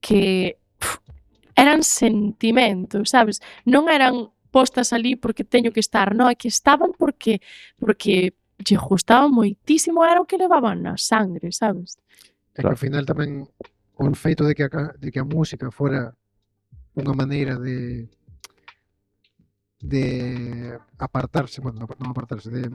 que pf, eran sentimentos, sabes? Non eran postas ali porque teño que estar, non, é que estaban porque porque lle gustaba moitísimo, era o que levaban na sangre, sabes? É que ao final tamén o feito de que a, ca- de que a música fora unha maneira de de apartarse, bueno, non apartarse, de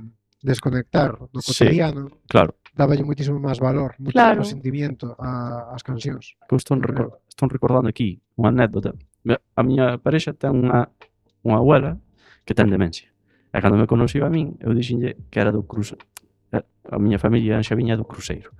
desconectar do Sí. cotidiano, Claro, dáballe moitísimo máis valor, moitísimo Claro. sentimiento a, ás cancións. que eu estou, recor estou recordando aquí unha anécdota. Me- A miña parexa ten unha, unha abuela que ten demencia. E cando me conociu a min, eu dixenlle que era do cruce. A miña familia xa viña do cruceiro.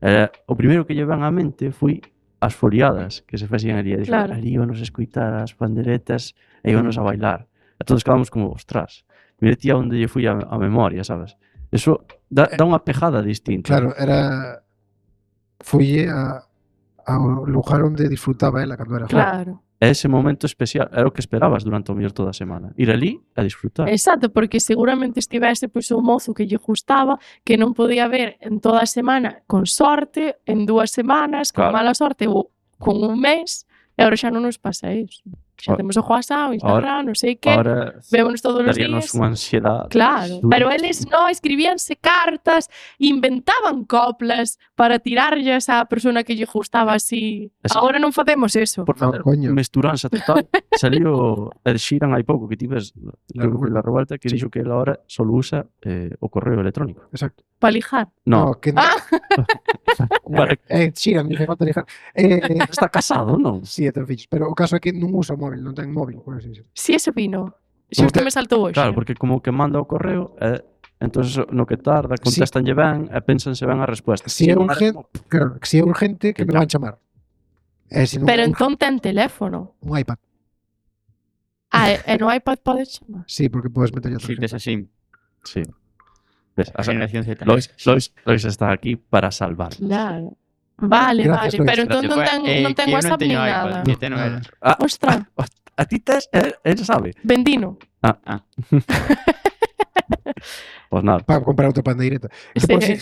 E o primeiro que lle ven á mente foi as foliadas que se facían ali. E dixo, Claro. ali íbanos a escoitar as panderetas e íbanos a bailar. E todos quedamos como, ostras, mire tía onde lle fui a, a memoria, sabes? Eso dá, dá unha pejada distinta. Claro, era foi a ao lugar onde disfrutaba ela cando era joven. Claro. É ese momento especial, era o que esperabas durante o mellor toda a semana. Ir ali a disfrutar. Exacto, porque seguramente estivese pois un mozo que lle gustaba, que non podía ver en toda a semana, con sorte, en dúas semanas, con Claro. mala sorte ou con un mes, e agora xa non nos pasa iso. Xa Ahora- temos o WhatsApp, o Instagram, non sei que, Ahora vémonos todos os daríanos días. unha ansiedade. Claro, Dura. pero eles non escribíanse cartas, inventaban coplas para tirarlles á persona que lle gustaba así. Eso- Agora non facemos eso. Por No, facer coño. mesturanza total. Salió Ed Sheeran hai pouco que ti ves La creo que foi Revuelta. la revuelta que Sí. dixo que él ahora solo usa eh, o correo electrónico. Exacto. Para lijar. No, que Ah, para que eh, Sheeran, me falta lijar. Eh, eh, está casado, non? sí, é ten fillos, pero o caso é que non usa o móvil, non ten móvil, por así decirlo. si ese vino. Xusto Como que- me saltou hoxe. Claro, porque como que manda o correo e entonces no que tarda, contestanlle ben e pensanse ben a resposta. Si é non urgente, claro, que si é urgente que Que me van chamar. E se non Pero é entón ten teléfono. un iPad. Ah, e, e no iPad podes chamar. Sí, porque podes meter Si outra tes gente. así, Sí. Ves, a a generación Z. Lois, Lois, Lois está aquí para salvar. Claro. Vale, Gracias, vale, Lois. pero entón non ten, Eh, non ten que eu WhatsApp nin teño iPad, nada. que ten era. Ah, Ostra, a ti tes, él, él sabe. vendino. Pues nada, Para comprar outra pandeireta. Que Sí. por, si,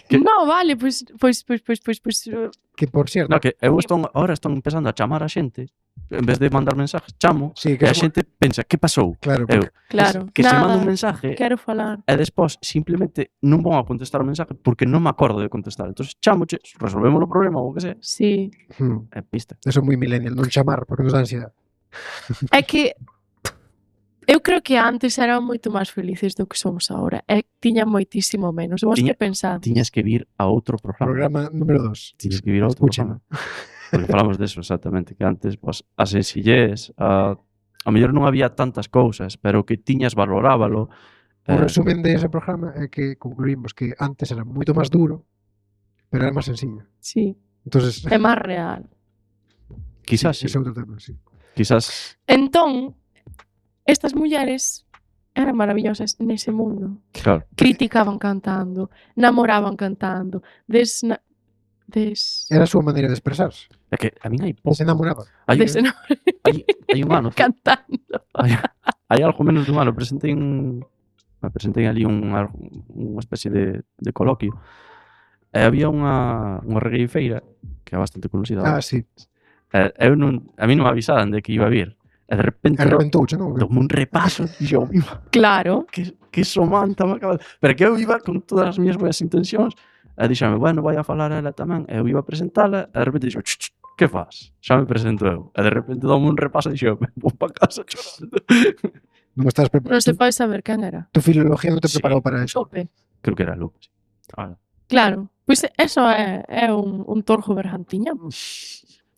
Que- No, vale, pois pois pois pois pois pois uh, que por cierto, no, que eu estou, ahora estou empezando a chamar a xente, en vez de mandar mensajes, chamo, sí, e que a xente pensa, que pasou? claro, Eu, porque, claro. que se Nada, manda un mensaje quero falar. e despois simplemente non vou a contestar o mensaje porque non me acordo de contestar. Entonces chamoche, resolvemos o problema ou o que sea, Sí. hmm, e pista. eso é moi millennial, non chamar, porque nos dá ansiedade. É que eu creo que antes eran moito máis felices do que somos agora. E tiñan moitísimo menos. Vos Tiña- que pensades? Tiñas que vir a outro programa. Programa número dos. Tiñas que vir a outro Escúchame. programa. Porque falamos deso exactamente, que antes pues, a sencillez, a, a mellor non había tantas cousas, pero que tiñas valorábalo. O eh, resumen de ese programa é que concluímos que antes era moito máis duro, pero era máis sencillo. Sí, Entonces, é máis real. quizás sí, ese é outro tema, sí. quizás, Entón, estas mulleres eran maravillosas nese mundo. claro, Criticaban cantando, namoraban cantando, desna... des... Era a súa maneira de expresarse. é que a min hai Se pouco, enamoraba. hai, desna... hai, hai un ano, cantando. hai, hai algo menos dun ano, presentei un, me presentei ali unha, unha especie de, de coloquio, e había unha, unha regueifeira que é bastante conocida. Ah, sí. E, eu non, a mí non me avisaran de que iba a vir. E de repente E reventouche, non? dome un repaso e yo, Claro. que, que somanta me acaba de... Pero que eu iba con todas as miñas boas intencións e dixame, bueno, vai a falar ela tamén, e eu iba a presentala e de repente dixo, ch, ch, que faz? Xa me presento eu. E de repente dome un repaso e dixo, vou pa casa chorando. Non estás preparado. Non se pode saber quen era. Tu filología non te Sí. preparou para eso. Chope. Creo que era Luke. Sí. Ah, Claro. Pois eso é, é un, un torjo bergantiña.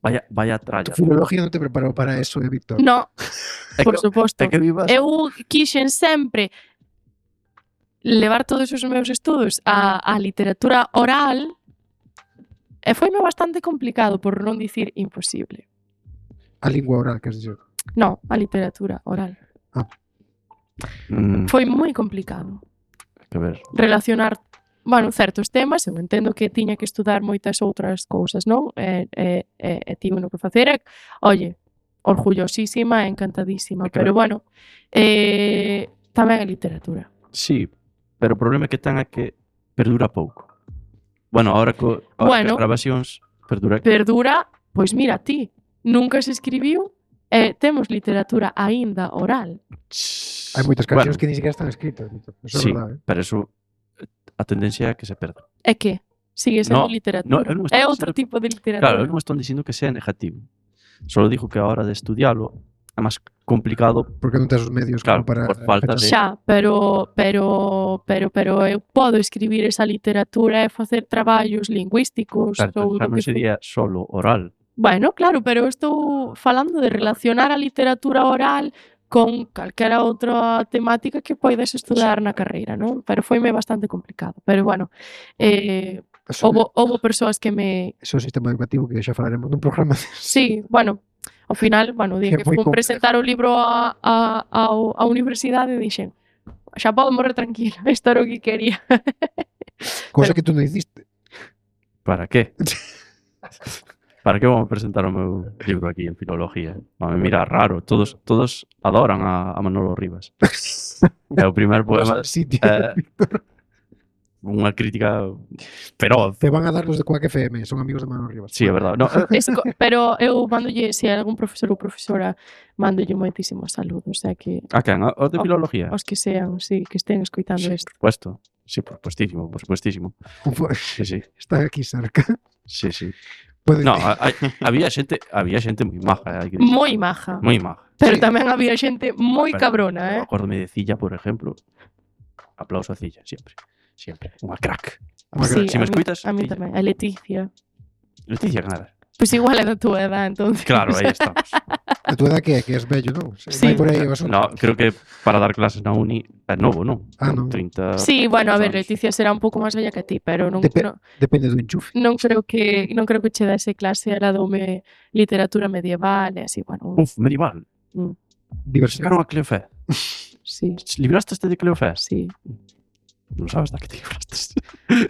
vaya, vaya Tu tralla. filología non te preparou para eso, eh, Víctor. No, É por que- suposto. É que vivas... Eu quixen sempre levar todos os meus estudos á, á literatura oral e foime bastante complicado, por non dicir imposible. A lingua oral, que has dixo. No, a literatura oral. Mm, Foi moi complicado que ver. relacionar, bueno, certos temas. Eu entendo que tiña que estudar moitas outras cousas, non? E, e, e, e tivo no que facer. E, oye, orgullosísima e encantadísima. É que- Pero, bueno, eh, tamén a literatura. Sí, pero o problema que ten é que perdura pouco. Bueno, ahora co ahora Bueno. que as grabacións perdura. Perdura, pois mira ti, nunca se escribiu e temos literatura aínda oral. Hai moitas cancións Bueno, que ni siquiera están escritas, Víctor. Eso sí, é verdade, eh? pero eso a tendencia é que se perda. É que sigue sendo No, literatura. no, eu non estou é dicindo outro que- tipo de literatura. Claro, eu non estou dicindo que sea negativo. Solo digo que a hora de estudialo é máis complicado. Porque non tes os medios Claro, como para... por falta de- Xa, pero pero pero pero eu podo escribir esa literatura e facer traballos lingüísticos Certo, ou xa do non que for. sería solo oral. Bueno, claro, pero eu estou falando de relacionar a literatura oral con calquera outra temática que poidas estudar na carreira, non? Pero foime bastante complicado. Pero bueno, eh, Eso, houbo, houbo persoas que me... eso é o sistema educativo que xa falaremos nun programa. Sí, bueno, ao final, bueno, o día Que que moi fun complejo. presentar o libro a, a, a, a universidade dixen, xa podo morrer tranquila, isto era o que quería. Cosa Pero- que tú non hiciste. Para qué? Para que vamos a presentar o meu libro aquí en filología? Vame mirar raro, todos todos adoran a, a Manolo Rivas. É o primer poema, Sí, tío. eh, unha crítica feroz. Te van a dar los de Quack F M, son amigos de Manuel Rivas. Sí, é verdade. No, eh, Es co- pero eu mandolle, se hai algún profesor ou profesora, mandolle moitísimos saludos, é que a quen? A- Os de Oh, filología? os que sean, sí, que estén escoitando Sí, isto. por supuesto. Sí, por supuestísimo, por supuestísimo. Sí, sí, Está aquí cerca. sí, sí. Puede- No, a- hai- había xente, había xente moi maja, hai que dicir. Moi maja. Moi maja. Pero Sí. tamén había xente moi Pero- cabrona, eh? Acórdome de Cilla, por ejemplo. Aplauso a Cilla, siempre. Siempre. Unha crack. Sí, Si me a mí- escuitas, A mí Cilla. tamén. A Leticia. Leticia, que nada. Pois igual é da túa edad, entonces. Claro, aí estamos. A tu edad que é? Que és bello, non? Se Sí. vai por aí o asunto. No, creo que para dar clases na uni é novo, non? Ah, non. trinta Sí, bueno, a ver, anos. Leticia será un pouco máis bella que ti, pero non, Depe- non, Depende do enchufe. non creo que non creo que che dase clase, era dome literatura medieval e así, bueno, Uf, medieval. Diversión. Sacaron a Cleofé. sí, Libraste este de Cleofé? sí. Non sabes da que te libraste.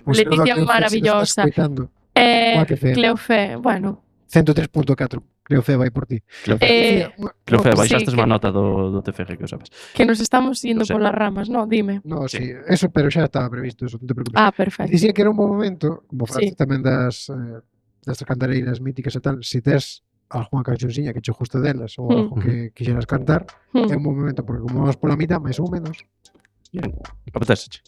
Un Leticia saludo a Cleofé, maravillosa. se nos está escoitando. Eh, Quack F M. Cleofé, bueno, ciento tres punto catro. Cleofé vai por ti. Cleofé, Eh, Cleofé, sí, baixastes que- má nota do, do T F G, que o sabes. que nos estamos indo No sé. polas ramas, no, dime. No, Sí. sí. Eso, pero xa estaba previsto, eso, non te preocupes. Ah, perfecto. Dicía que era un bom momento, como falaste Sí. tamén das, eh, das cantareiras míticas e tal, se tes algunha canciónxiña que che guste delas ou Mm. algo que quixeras cantar, é Hmm, un bom momento, porque como vamos pola mitad, máis ou menos, Bien. Apetéseche.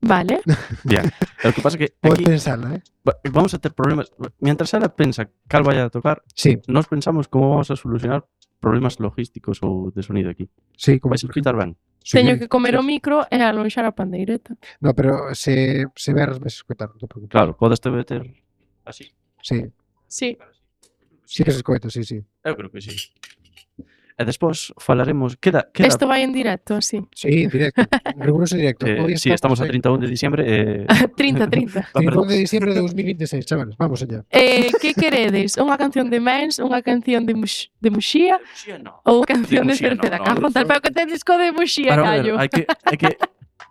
Vale. Bien. E o que pasa é que podes aquí pensarla, eh? va- vamos a ter problemas. Mientras ela pensa cal vai a tocar, Sí, nós pensamos como vamos a solucionar problemas logísticos ou de sonido aquí. sí, como Vais a escutar ben. Sí, Teño que comer sí. o micro e alonxar a pandeireta. No, pero se, se veras vais a escoitar, non te preocupes. Claro, podes te meter así. Sí, Sí. sí que se escoita, sí, sí. Eu creo que sí. E despois falaremos, queda, queda Isto vai en directo, así. Sí, directo, en riguroso directo. eh, Hoy sí, estamos a en trinta e un de diciembre e trinta, trinta. Ah, perdón. trinta de diciembre de dos mil veintiséis, chavales, vamos allá. Eh, que queredes? Unha canción de Mens, unha canción de, Mux, de Muxía ou unha canción de, De Muxía, Cerceda? no, no, Cajo, no, tal, pero que ten disco de Muxía, Pero, a ver, callo. hai que, hai que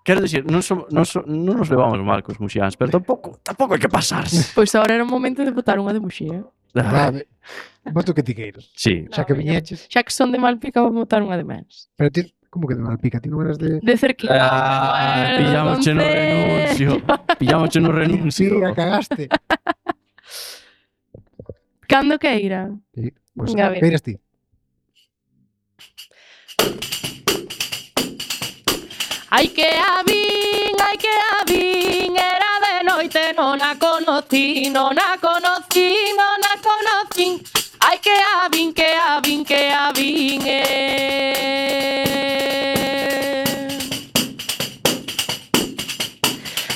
quero dicir, non, som, non, som, non nos levamos mal cos muxiáns, pero tampouco, tampouco hai que pasarse. Pois agora era o momento de botar unha de Muxía. Vale, voto que ti queiras. Sí, Xa que viñeches, Xa que son de Malpica, vou botar unha de Mens. pero ti, Como que de Malpica? Ti non eras de... De cerquita. Ah, pillamos no renuncio. Pillamos no renuncio. Sí, a cagaste. Cando queira. Sí, pues, Venga, a ver. que eres ti? Ai que a vin, ai que a vin, era de noite, non a conocí, non a conocí, non a conocí. Ai que a vin, que a vin, que a vin, eh.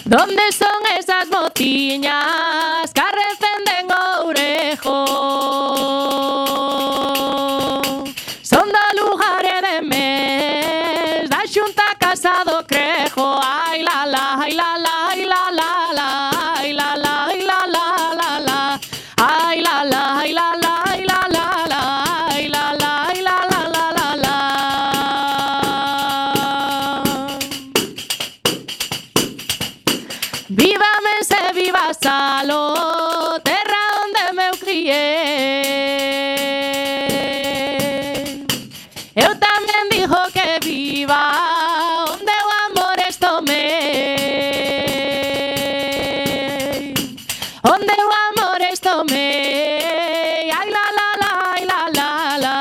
Donde son esas motiñas que arrecenden Ourejo? Son do lugar e de mes da Xunta Casa do Crejo. Ai la la, ai la la, ai la la la, ai la la, ai la la la la, ai la la, ai la la, ai la la la, ai la la, ai la la la la la. Viva Mense, viva Salo, terra onde me criei. Eu tamén digo que viva onde o amor estomei, onde o amor estomei. Ai la la la, ai la la la.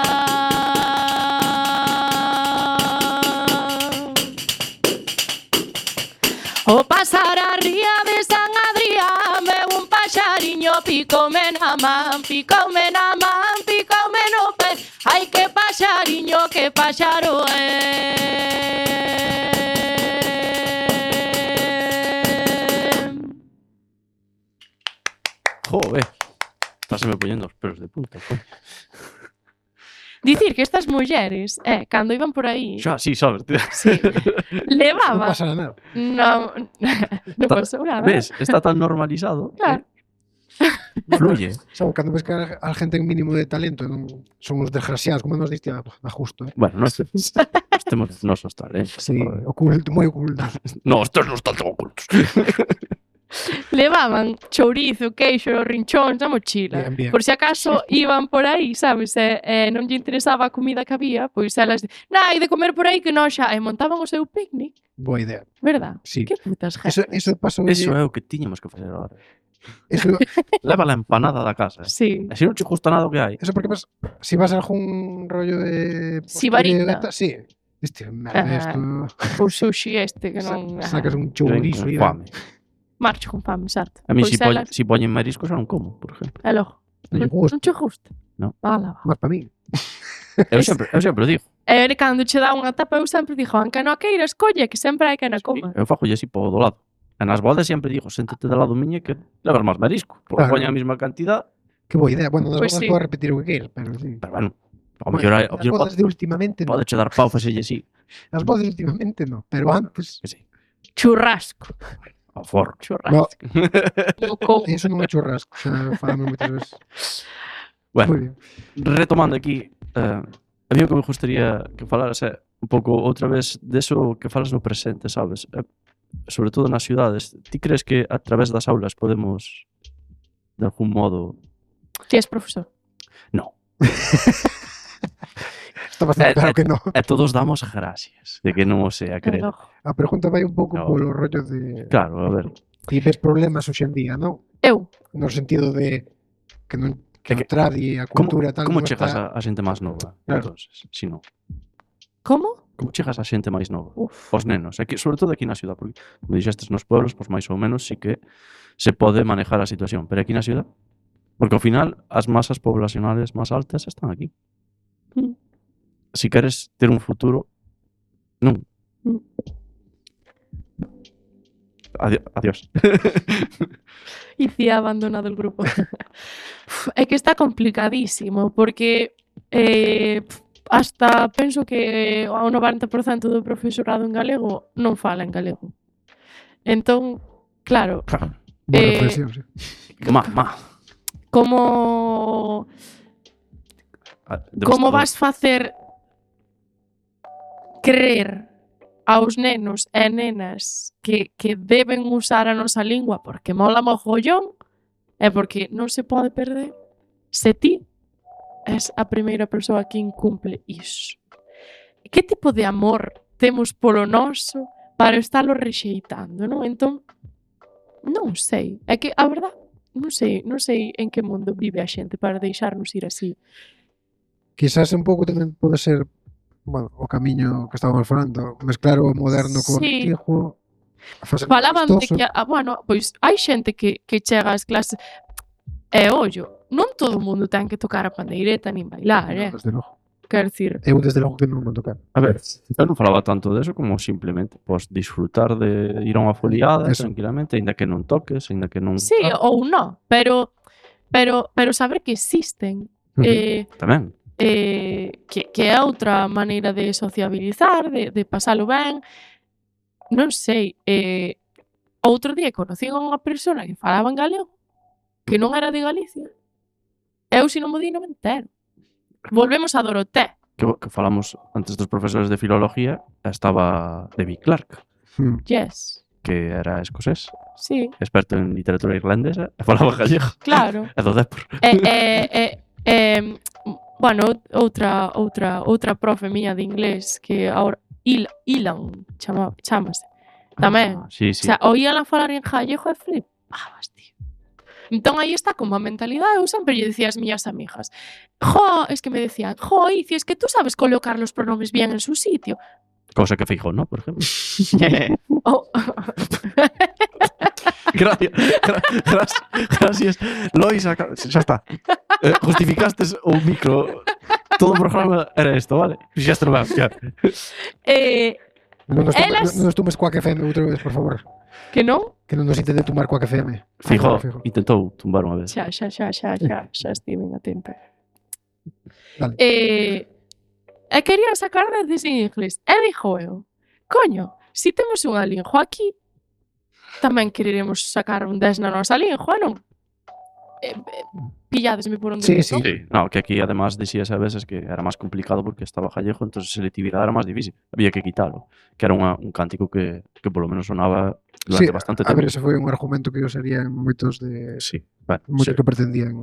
O pasar a ría de San Adrián, veu un paxariño, picoume na man, picoume na man, picoume no pé. Ai que paxariño, que paxaro é. Joder. Estáseme poñendo os pelos de punta. Coño. Dicir que estas mulleres, eh, cando iban por aí, Xa, sí, sabes. sí, Non levaban... pasa nada. No, non Está- pasou nada. Ves, está tan normalizado. Claro. que Fluye. Sabe, cando ves que a a gente en mínimo de talento non son os desgraciados, como nos diste a, a justo, eh? Bueno, nós nos temos nosos tal, eh. Sí, oculto, moi oculto. No, estos non están tan ocultos. Levaban chourizo, queixo, rinchóns na mochila. Bien, bien. Por si acaso iban por aí, sabes, e, e non lle interesaba a comida que había, pois elas, na, hai de comer por aí que non xa, e montaban o seu picnic, Boa idea. verdad? Sí. Que putas Eso, gente. eso pasou. Eso é o que tiñamos que facer agora. Eso, Leva la empanada da casa. Sí. E se non che gusta nada o que hai. eso porque vas, si vas a algún rollo de... Sibarita. de- Sí. Viste, merda, Ah. esto... O sushi este que non... Sa- Sacas un Ven chourizo con e... fame. Marcho con fame, certo. A mí Pois si, poñen, elas- si poñen mariscos xa non como, por exemplo. E logo, Non lle non, gusta. non che gusta? No. Ala, va. Más para mí. Eu sempre, eu sempre o digo. E cando che dá unha tapa, eu sempre digo, anca non a queiras, colle, que sempre hai que na coma. Eu fajo así po do lado. E nas bodas sempre digo, séntate do lado miña que levas máis marisco. Porque Claro. poñen a mesma cantidad. Que boa idea. Bueno, das Pois bodas sí. podes repetir o que queiras, pero sí. Pero bueno, ao Bueno, mellor hai- ao as mellor bodas de últimamente no. pode che dar pau facelle así. As bodas de últimamente no, pero antes... Que sí. Churrasco. Ao forro. Churrasco. No como. Eso non é churrasco, xa falamos moitas veces. Bueno, Moi bien. retomando aquí, eh, a mí o que me gustaría que falaras é un pouco outra vez deso que falas no presente, sabes? Eh, sobre todo nas ciudades. Ti crees que a través das aulas podemos, de algún modo... Ti és profesor. No. Está bastante Eh, claro eh, que no. E todos damos gracias de que non o sea E creer. logo. A pregunta vai un pouco No. polo rollo de... Claro, a ver. Ti ves problemas hoxe en día, non? Eu, No sentido de que non que É o que- tradi, a Como, cultura tal como non chegas está... a, a xente máis nova? Claro. Entonces, si non. como? Como chegas a xente máis nova? Uf. Os nenos, aquí, sobre todo aquí na ciudad, porque como dixestes nos pueblos, pois máis ou menos sí que se pode manejar a situación, pero aquí na ciudad, porque ao final as masas poblacionales máis altas están aquí. Mm. Si queres ter un futuro, non. Mm. Adi adiós. E ti ha abandonado el grupo. Uf, é que está complicadísimo, porque eh, hasta penso que o noventa por cento do profesorado en galego non fala en galego. Entón, claro, Boa eh, reflexión, sí. Ma, ma. como Ah, como devastador. vas facer creer aos nenos e nenas que, que deben usar a nosa lingua porque mola mogollón e porque non se pode perder se ti és a primeira persoa que incumple iso. que tipo de amor temos polo noso para estalo rexeitando, non? Entón, non sei. É que, a verdad, non sei, non sei en que mundo vive a xente para deixarnos ir así. Quizás un pouco tamén pode ser, bueno, o camiño que estábamos falando, mezclar o moderno co Sí. antigo, facer Falaban de amistoso. que, ah, bueno, pois hai xente que, que chega ás clases e, ollo, non todo o mundo ten que tocar a pandeireta nin bailar, eh? No, desde logo. Quero dicir, Eu desde logo que non vou tocar. A ver, eu non falaba tanto deso como simplemente pois, disfrutar de ir a unha foliada Eso. tranquilamente, ainda que non toques, ainda que non... sí ou non, pero pero pero saber que existen Ujú. eh, Tamén. eh, que, que é outra maneira de sociabilizar, de, de pasalo ben. Non sei, eh, outro día conocí a unha persona que falaba en galego que non era de Galicia. Eu se non mo di non me entero. Volvemos a Doroté. Que, que falamos antes dos profesores de filología, estaba David Clark, Hmm. Yes. que era escocés, Sí, experto en literatura irlandesa, e falaba gallego. claro. E do Depor. E, e, e, e, bueno, outra outra outra profe miña de inglés que ahora Il, Ilan chama, chamase. Tamén. Ah, sí, O sí. sea, oíala falar en gallego e flipabas, tío. Entón aí está como a mentalidade. Eu sempre lle dicía ás miñas amigas, jo, es que me decían, jo, Ici, es que tú sabes colocar los pronombres bien en su sitio. Cosa que Feijó, ¿no? Por ejemplo. Oh. Gracias. Gra gracias. Gracias. Lois, acá... xa está. Eh, justificastes o micro. Todo o programa era isto, vale? Xa está ben, xa. eh, Non nos, tome, Elas- non nos tumes Quack F M outra vez, por favor. que non? Que non nos intente tomar Quack F M. Feijó Fijo. intentou tumbar unha vez. Xa, xa, xa, xa, xa, xa estiven a tempo. Dale. Eh, e quería sacar desde en inglés. E dixo eu, coño, si temos unha lingua aquí, tamén quereremos sacar un dez na nosa lingua, non? Eh, eh, pilladesme por onde Sí, digo. sí. Sí, no, que aquí además decías a veces que era máis complicado porque estaba gallego, entonces a selectividade era máis difícil. Había que quitalo, que era unha, un cántico que, que polo menos sonaba durante Sí, bastante a tempo. ver, ese foi un argumento que usarían moitos de Sí, bueno, moitos sí. que pretendían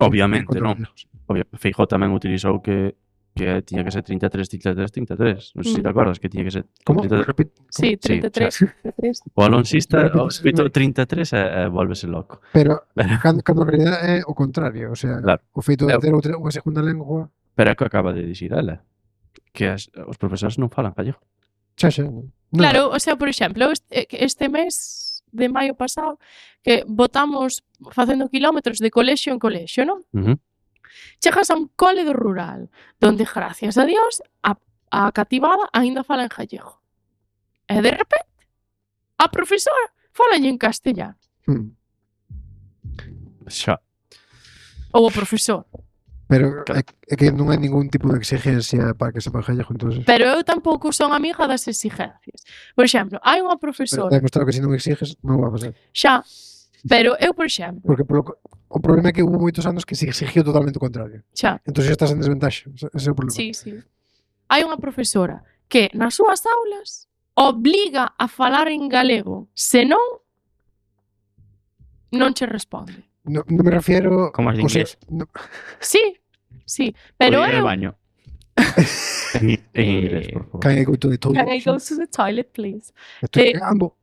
Obviamente, contra non? os galegos. Obvio, Feijó tamén utilizou que que tiña que ser trinta e tres, trinta e tres, trinta e tres. Non sei se Mm. te acordas que tiña que ser Como? trinta e tres. Repite. Sí, treinta e tres. treinta e tres. O alonsista, Repite, o repite. escrito trinta e tres e, e volvese loco. Pero cando, cando en realidad é o contrario, o sea, Claro. o feito de Eu- ter outra unha segunda lengua, Pero é que acaba de dicir ela, que as, os profesores non falan gallego. xa xa. Non. Claro, o sea, por exemplo, este, este mes de maio pasado que votamos facendo kilómetros de colexio en colexio, non? Uh -huh. Chegas a un cole do rural, donde, gracias a Dios, a, a cativada aínda fala en gallego. E de repente, a profesora fala en castellano. Hmm. Xa. Ou o profesor. Pero Claro. é, é que non hai ningún tipo de exigencia para que sepan gallego, entonces. Pero eu tampouco son amiga das exigencias. Por exemplo, hai unha Pero profesora, está demostrado que se non exiges, non vai a pasar. xa, pero eu, por exemplo, Porque polo, co- o problema é que hubo moitos anos que se exigiu totalmente o contrario. xa, Entón xa estás en desventaxa. Ese ese é o problema. sí, sí. Hai unha profesora que nas súas aulas obliga a falar en galego, senón non che responde. No, non me refiero... Como as de o sea, inglés. no, Sí, sí, pero Podía ir eu... ao baño. En, en inglés, por favor. can I go to the toilet? Can I go to the toilet, please? Estoy Eh, cagando.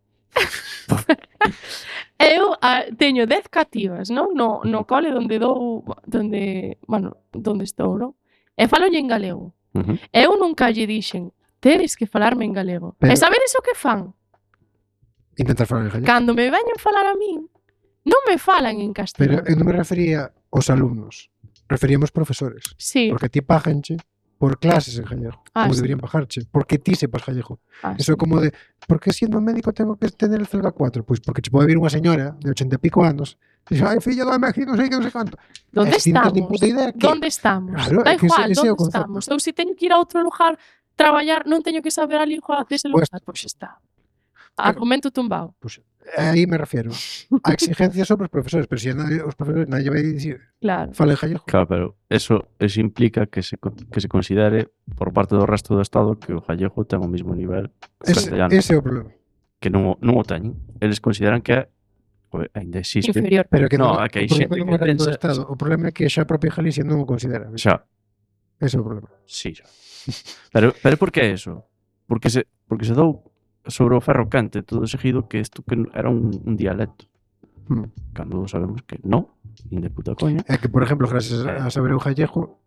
Eu a, teño dez cativas, non? No, no cole onde dou, donde, bueno, donde estou, non? E falo en galego. Uh -huh. Eu nunca lle dixen, tedes que falarme en galego. Pero- E sabedes o que fan? Intentar falar en gallego. Cando me veñen falar a min, non me falan en Pero castellano. eu non me refería aos alumnos. Referíamos profesores. Sí, Porque ti paganche por clases en gallego. Ah, como sí. deberían pagarche. Porque ti sepas gallego. ah, Eso é como de, por que siendo médico tengo que tener el Celga cuatro? Pois porque che pode vir unha señora de ochenta e pico anos e dixe, ai, fillo do México, non sei que, non sei canto. Donde E si non tes estamos? nin puta idea que... Donde estamos? Claro, da é que ese- igual, ese é o donde concepto. estamos? Eu se teño que ir a outro lugar traballar, non teño que saber a lingua dese Pues- lugar, pois está. Argumento tumbado. Pois, aí me refiero. A exigencia sobre os profesores, pero se si nadie, os profesores nadie vai dicir, Claro. fala en gallego. Claro, pero eso, eso implica que se, co- que se considere por parte do resto do Estado que o gallego ten o mismo nivel que o Ese, castellano. ese é o problema. Que non, o- non o teñen. Eles consideran que é, joder, ainda existe. Inferior. Pero que No, non, é que hai o problema xente non que é do pensa- Estado. O problema é que xa a propia Galicia non o considera. Xa, Ese é o problema. Sí, xa. Pero, pero por que eso? Porque se, porque se dou sobre o ferro quente todo seguido que isto que era un, un dialecto. Hmm. Cando sabemos que non, nin de puta coña. É que, por exemplo, gracias a saber o gallego,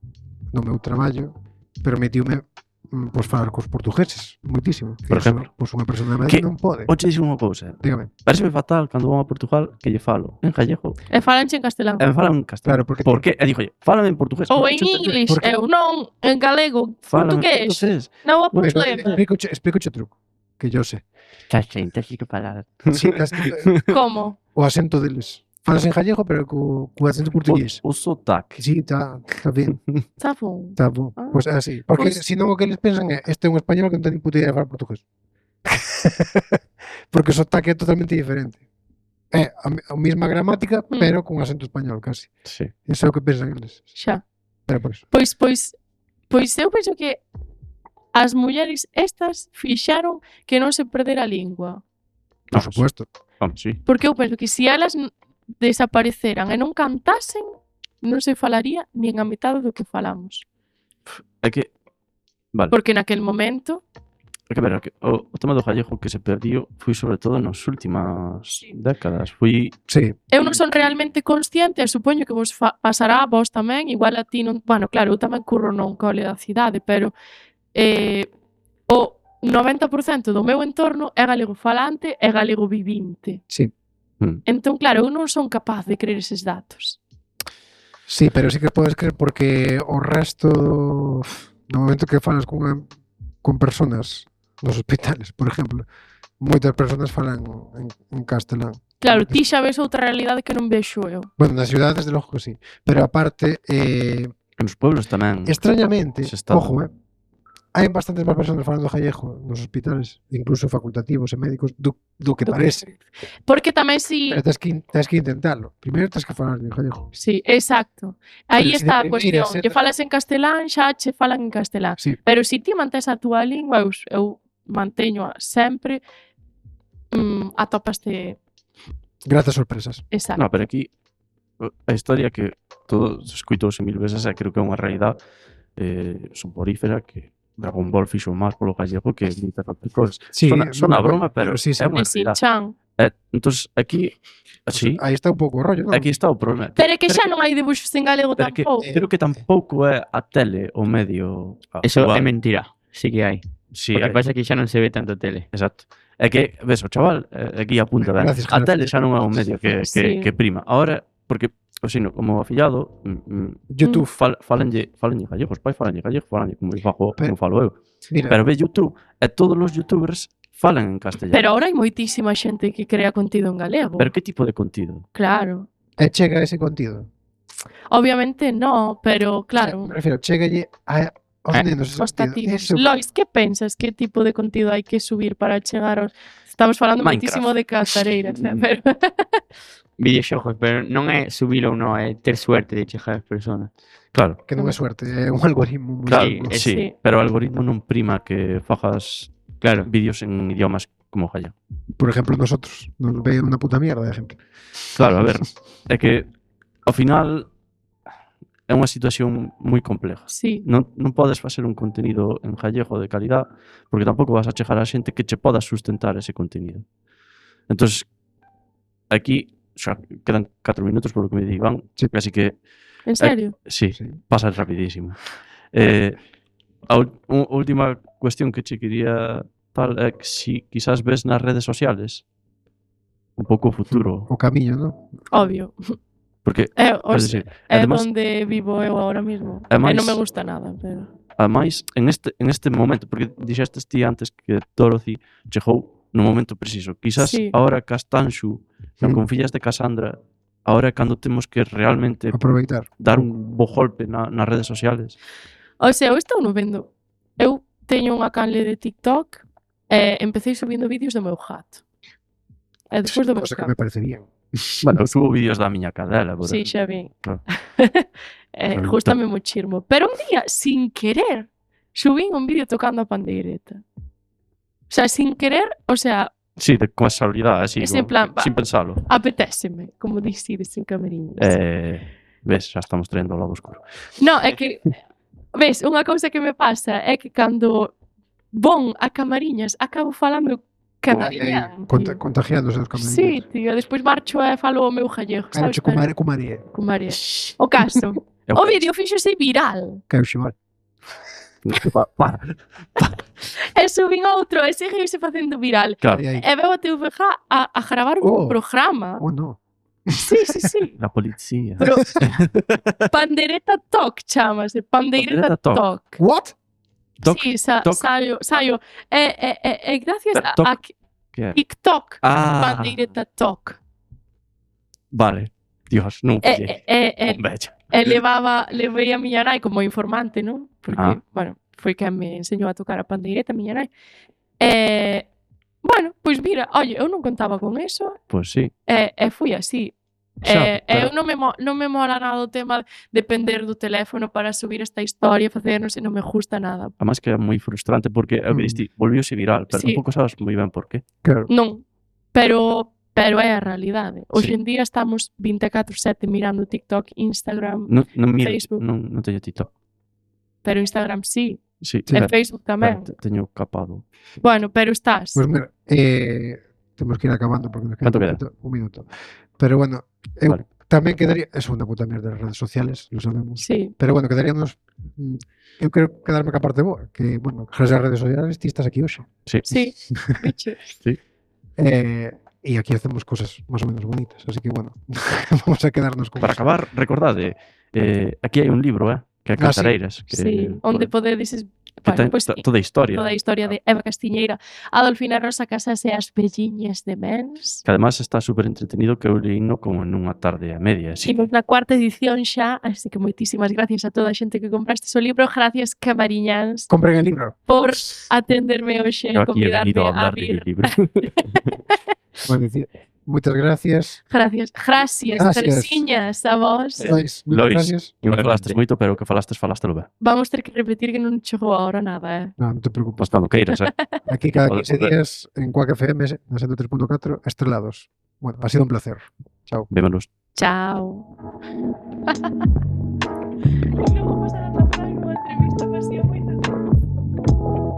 no meu traballo, permitiume mm, pois falar cos portugueses, moitísimo. Por exemplo? Pois unha persona de Que- Madrid non pode. Oche dixo unha cousa. Dígame. Pareceme fatal cando vou a Portugal que lle falo en gallego E falanche en castelán. e me falan en castelán. Claro, porque Por que? E dixo, fálame en portugués. Ou Non en cho entender. inglés, porque- eu non, en galego, Fálame en portugués. portugués. Non há Pois, problema. explico, explico o truco, que yo sé. Xa xente, así que falar. Sí, as, Como? o acento deles. Falas en gallego, pero co, co acento portugués. O, o sotaque. Sí, está tá bien, Está bon. está bon. Ah. Pois é así. Porque Pois- se non o que eles pensan é este é un español que non ten ni puta idea de falar portugués. Porque o sotaque é totalmente diferente. É a, me- a mesma gramática, Mm. pero con acento español, casi. Sí. Eso é o que pensan eles. Xa. Pero por eso. Pois, pois, pois eu penso que as mulleres estas fixaron que non se perdera a lingua. Por Ah, supuesto. Vamos, sí. Porque eu penso que se elas n- desapareceran e non cantasen, non se falaría nin a metade do que falamos. É que, vale, Porque naquel momento, é que ver, é que o, o tema do gallego que se perdiu foi sobre todo nas últimas Sí. décadas. Foi, Sí. eu non son realmente consciente, e supoño que vos fa pasará a vos tamén, igual a ti non... Bueno, claro, eu tamén curro non cole da cidade, pero eh, o noventa por cento do meu entorno é galego falante e galego vivinte. Sí. Entón, claro, eu non son capaz de creer eses datos. Sí, pero sí que podes creer porque o resto no momento que falas con, con personas nos hospitales, por exemplo, moitas persoas falan en, en castelán. Claro, ti xa ves outra realidade que non vexo eu. Bueno, nas ciudades desde logo que sí, pero aparte eh, nos pueblos tamén. extrañamente, Se está- ojo, eh, hai bastantes máis persoas falando gallego nos hospitales, incluso facultativos e médicos, do, do que Do que- parece. Porque tamén si... Pero tens que, tens que intentalo. Primeiro tens que falar en gallego. Sí, exacto. Aí Pero si está a de cuestión. primeiras, Que eh, falas en castelán, xa che falan en castelán. Sí, Pero se ti mantes a túa lingua, eu, eu manteño sempre, mm, atopaste... gratas sorpresas. Exacto. No, pero aquí a historia que todos escuitouse mil veces e creo que é unha realidade eh, soporífera que Dragon Ball fixo máis polo gallego que moitas outras cousas. Sí, Sona, sona a broma, pero sí, sí. é unha E sin realidade. chan. Eh, entonces aquí, así, Aí está un pouco o rollo, non? aquí está o problema. Pero é que xa non hai dibuxos en galego pero que, tampouco. creo que tampouco é a tele o medio a Eso jugar. é mentira. Sí que hai. Sí, Porque hai. pasa que xa non se ve tanto tele. Exacto. É que, ves, o chaval, eh, aquí apunta ben. Gracias, A gracias. tele xa non é o medio que, que, Sí. que prima. Ahora, porque, o sino, como afillado, mm, mm, YouTube, fal, falenlle, falenlle gallego, os pais falenlle gallego, falenlle como eu fago, Pero- como falo eu. mira, Pero ve YouTube, e todos os youtubers falan en castellano. Pero ahora hai moitísima xente que crea contido en galego. Pero que tipo de contido? Claro. e chega ese contido. Obviamente no, pero claro. Me refiero, chegalle a, aos Eh, nenos ese Os contido. tativos. Eso, Lois, que pensas? Que tipo de contido hai que subir para chegar aos... Estamos falando Minecraft. moitísimo de cantareiras, eh, pero... Videoxogos, pero non é subir ou non, é ter suerte de chegar ás persoas. Claro, que non é suerte, é un algoritmo moi claro, Sí, duro. é- sí, sí. pero o algoritmo non prima que fajas Claro. vídeos en idiomas como gallego. Por exemplo, nosotros nos ve unha puta mierda de gente. Claro, a ver, é que ao final é unha situación moi compleja. Sí. Non, non podes facer un contenido en gallego de calidad porque tampouco vas a chegar a xente que che poda sustentar ese contenido. Entonces, aquí xa quedan catro minutos por lo que me di Iván, Sí. así que En serio? sí, Sí. pasa rapidísimo. Eh, a ul- u- última cuestión que che quería tal é que si quizás ves nas redes sociales un pouco o futuro, O camiño, non? Obvio. porque É, é os, decir, é además, onde vivo eu ahora mismo. É E máis- non me gusta nada, pero... ademais en este en este momento, porque dixestes ti antes que Dorothy chegou no momento preciso. Quizás Sí. ahora Castanxu, non Mm. con fillas de Cassandra, ahora é cando temos que realmente Aproveitar. dar un bo golpe na, nas redes sociales. O sea, eu estou no vendo. Eu teño unha canle de TikTok e empecé subindo vídeos do meu gato. E despois do meu Cosa que gato. me parece bien. Bueno, eu subo vídeos da miña cadela, por Sí, exemplo. xa vi. Claro. eh, Pero gustame muchísimo. Pero un día, sin querer, subín un vídeo tocando a pandeireta. O sea, sin querer, o sea, Sí, de casualidade, así, Es en como, plan, va. sin pensalo. apetéseme, como dicides en camariñas. Eh, ves, xa estamos traendo ao lado oscuro. No, é que ves, unha cousa que me pasa é que cando von a Camariñas acabo falando camariñán. Conta, tío. contagiándose dos Sí, camarillos. tío, despois marcho e falo o meu gallego, Claro, sabes? che cumare, cumarie. Cumarie. O caso, É o que- vídeo fíxose viral. Que é o ximal. Pa- Para. E subín outro e seguiuse facendo viral. Claro, Aí, aí. E veo a T V G a, a gravar un Oh. programa. Oh, no. Sí, sí, sí. la policía. Pero Pandereta Talk chamase, Pandereta Pandereta Talk. Talk. What? Toc, Sí, sa, toc. saio, saio. E, e, e, e gracias a, Toc. a Que é? TikTok, Ah, Pandereta Talk. vale. Dios, non E, e, pillei. e, e, Un bello. e levaba, levei a miña nai como informante, non? Porque, Ah. bueno, foi quen me enseñou a tocar a pandeireta, a miña nai. E, bueno, pois mira, oye, eu non contaba con eso, Pois sí. e, e fui así. Xa, E, e pero- eu non me, mo- non me mola nada o tema de depender do teléfono para subir esta historia, facer, non sei, non me gusta nada. Además que é moi frustrante porque é o que Mm. diste, volviuse viral, pero Sí. tampouco sabes moi ben por qué. Claro. Non, pero pero é a realidade. Hoxe Sí. en día estamos veinticuatro sete mirando TikTok, Instagram, Non, non miro, Facebook. non, non teño TikTok. pero Instagram sí, Sí, Sí. e pero- Facebook tamén. pero te- teño capado. Bueno, pero estás. Pues mira, eh, temos que ir acabando porque nos queda ¿Cuánto un queda? minuto, un minuto. Pero bueno, eu Vale. tamén quedaría, é unha puta mierda das redes sociales, lo sabemos. Sí, Pero bueno, quedaríamos mm, eu quero quedarme ca parte boa, que bueno, gracias ás redes sociales ti estás aquí hoxe. Sí. sí. Bicho. Eh, e aquí hacemos cosas máis ou menos bonitas, así que bueno, vamos a quedarnos con Para eso. acabar, recordade, eh, aquí hai un libro, eh, que é Ah, sí. Cantareiras, que, Sí, onde podedes es- que bueno, ten pois to- sí, toda a historia. toda a historia de Eva Castiñeira, Adolfina Rosa Casas e as velliñas de Mens. Que además está super entretenido, que eu leíno como nunha tarde a media. Sí. Imos na cuarta edición xa, así que moitísimas gracias a toda a xente que compraste o libro, gracias Camariñáns Compren el libro. por atenderme hoxe e Eu aquí he convidarme venido a a hablar de vir. libro. Bueno, decir, moitas gracias. Gracias, gracias, Gracias. Teresiñas, a vos. Lois, moitas Lois. gracias. Non falastes moito, pero o que falastes, falástelo ben. Vamos ter que repetir que non chegou a hora nada, eh. No, non te preocupes. Pois cando queiras, eh. Aquí cada Pode- quince pode. días en Quack F M, na ciento tres punto catro, estrelados. Bueno, ha sido un placer. Chao. Vémonos. Chao. Non vamos a dar para unha entrevista, pasía moito.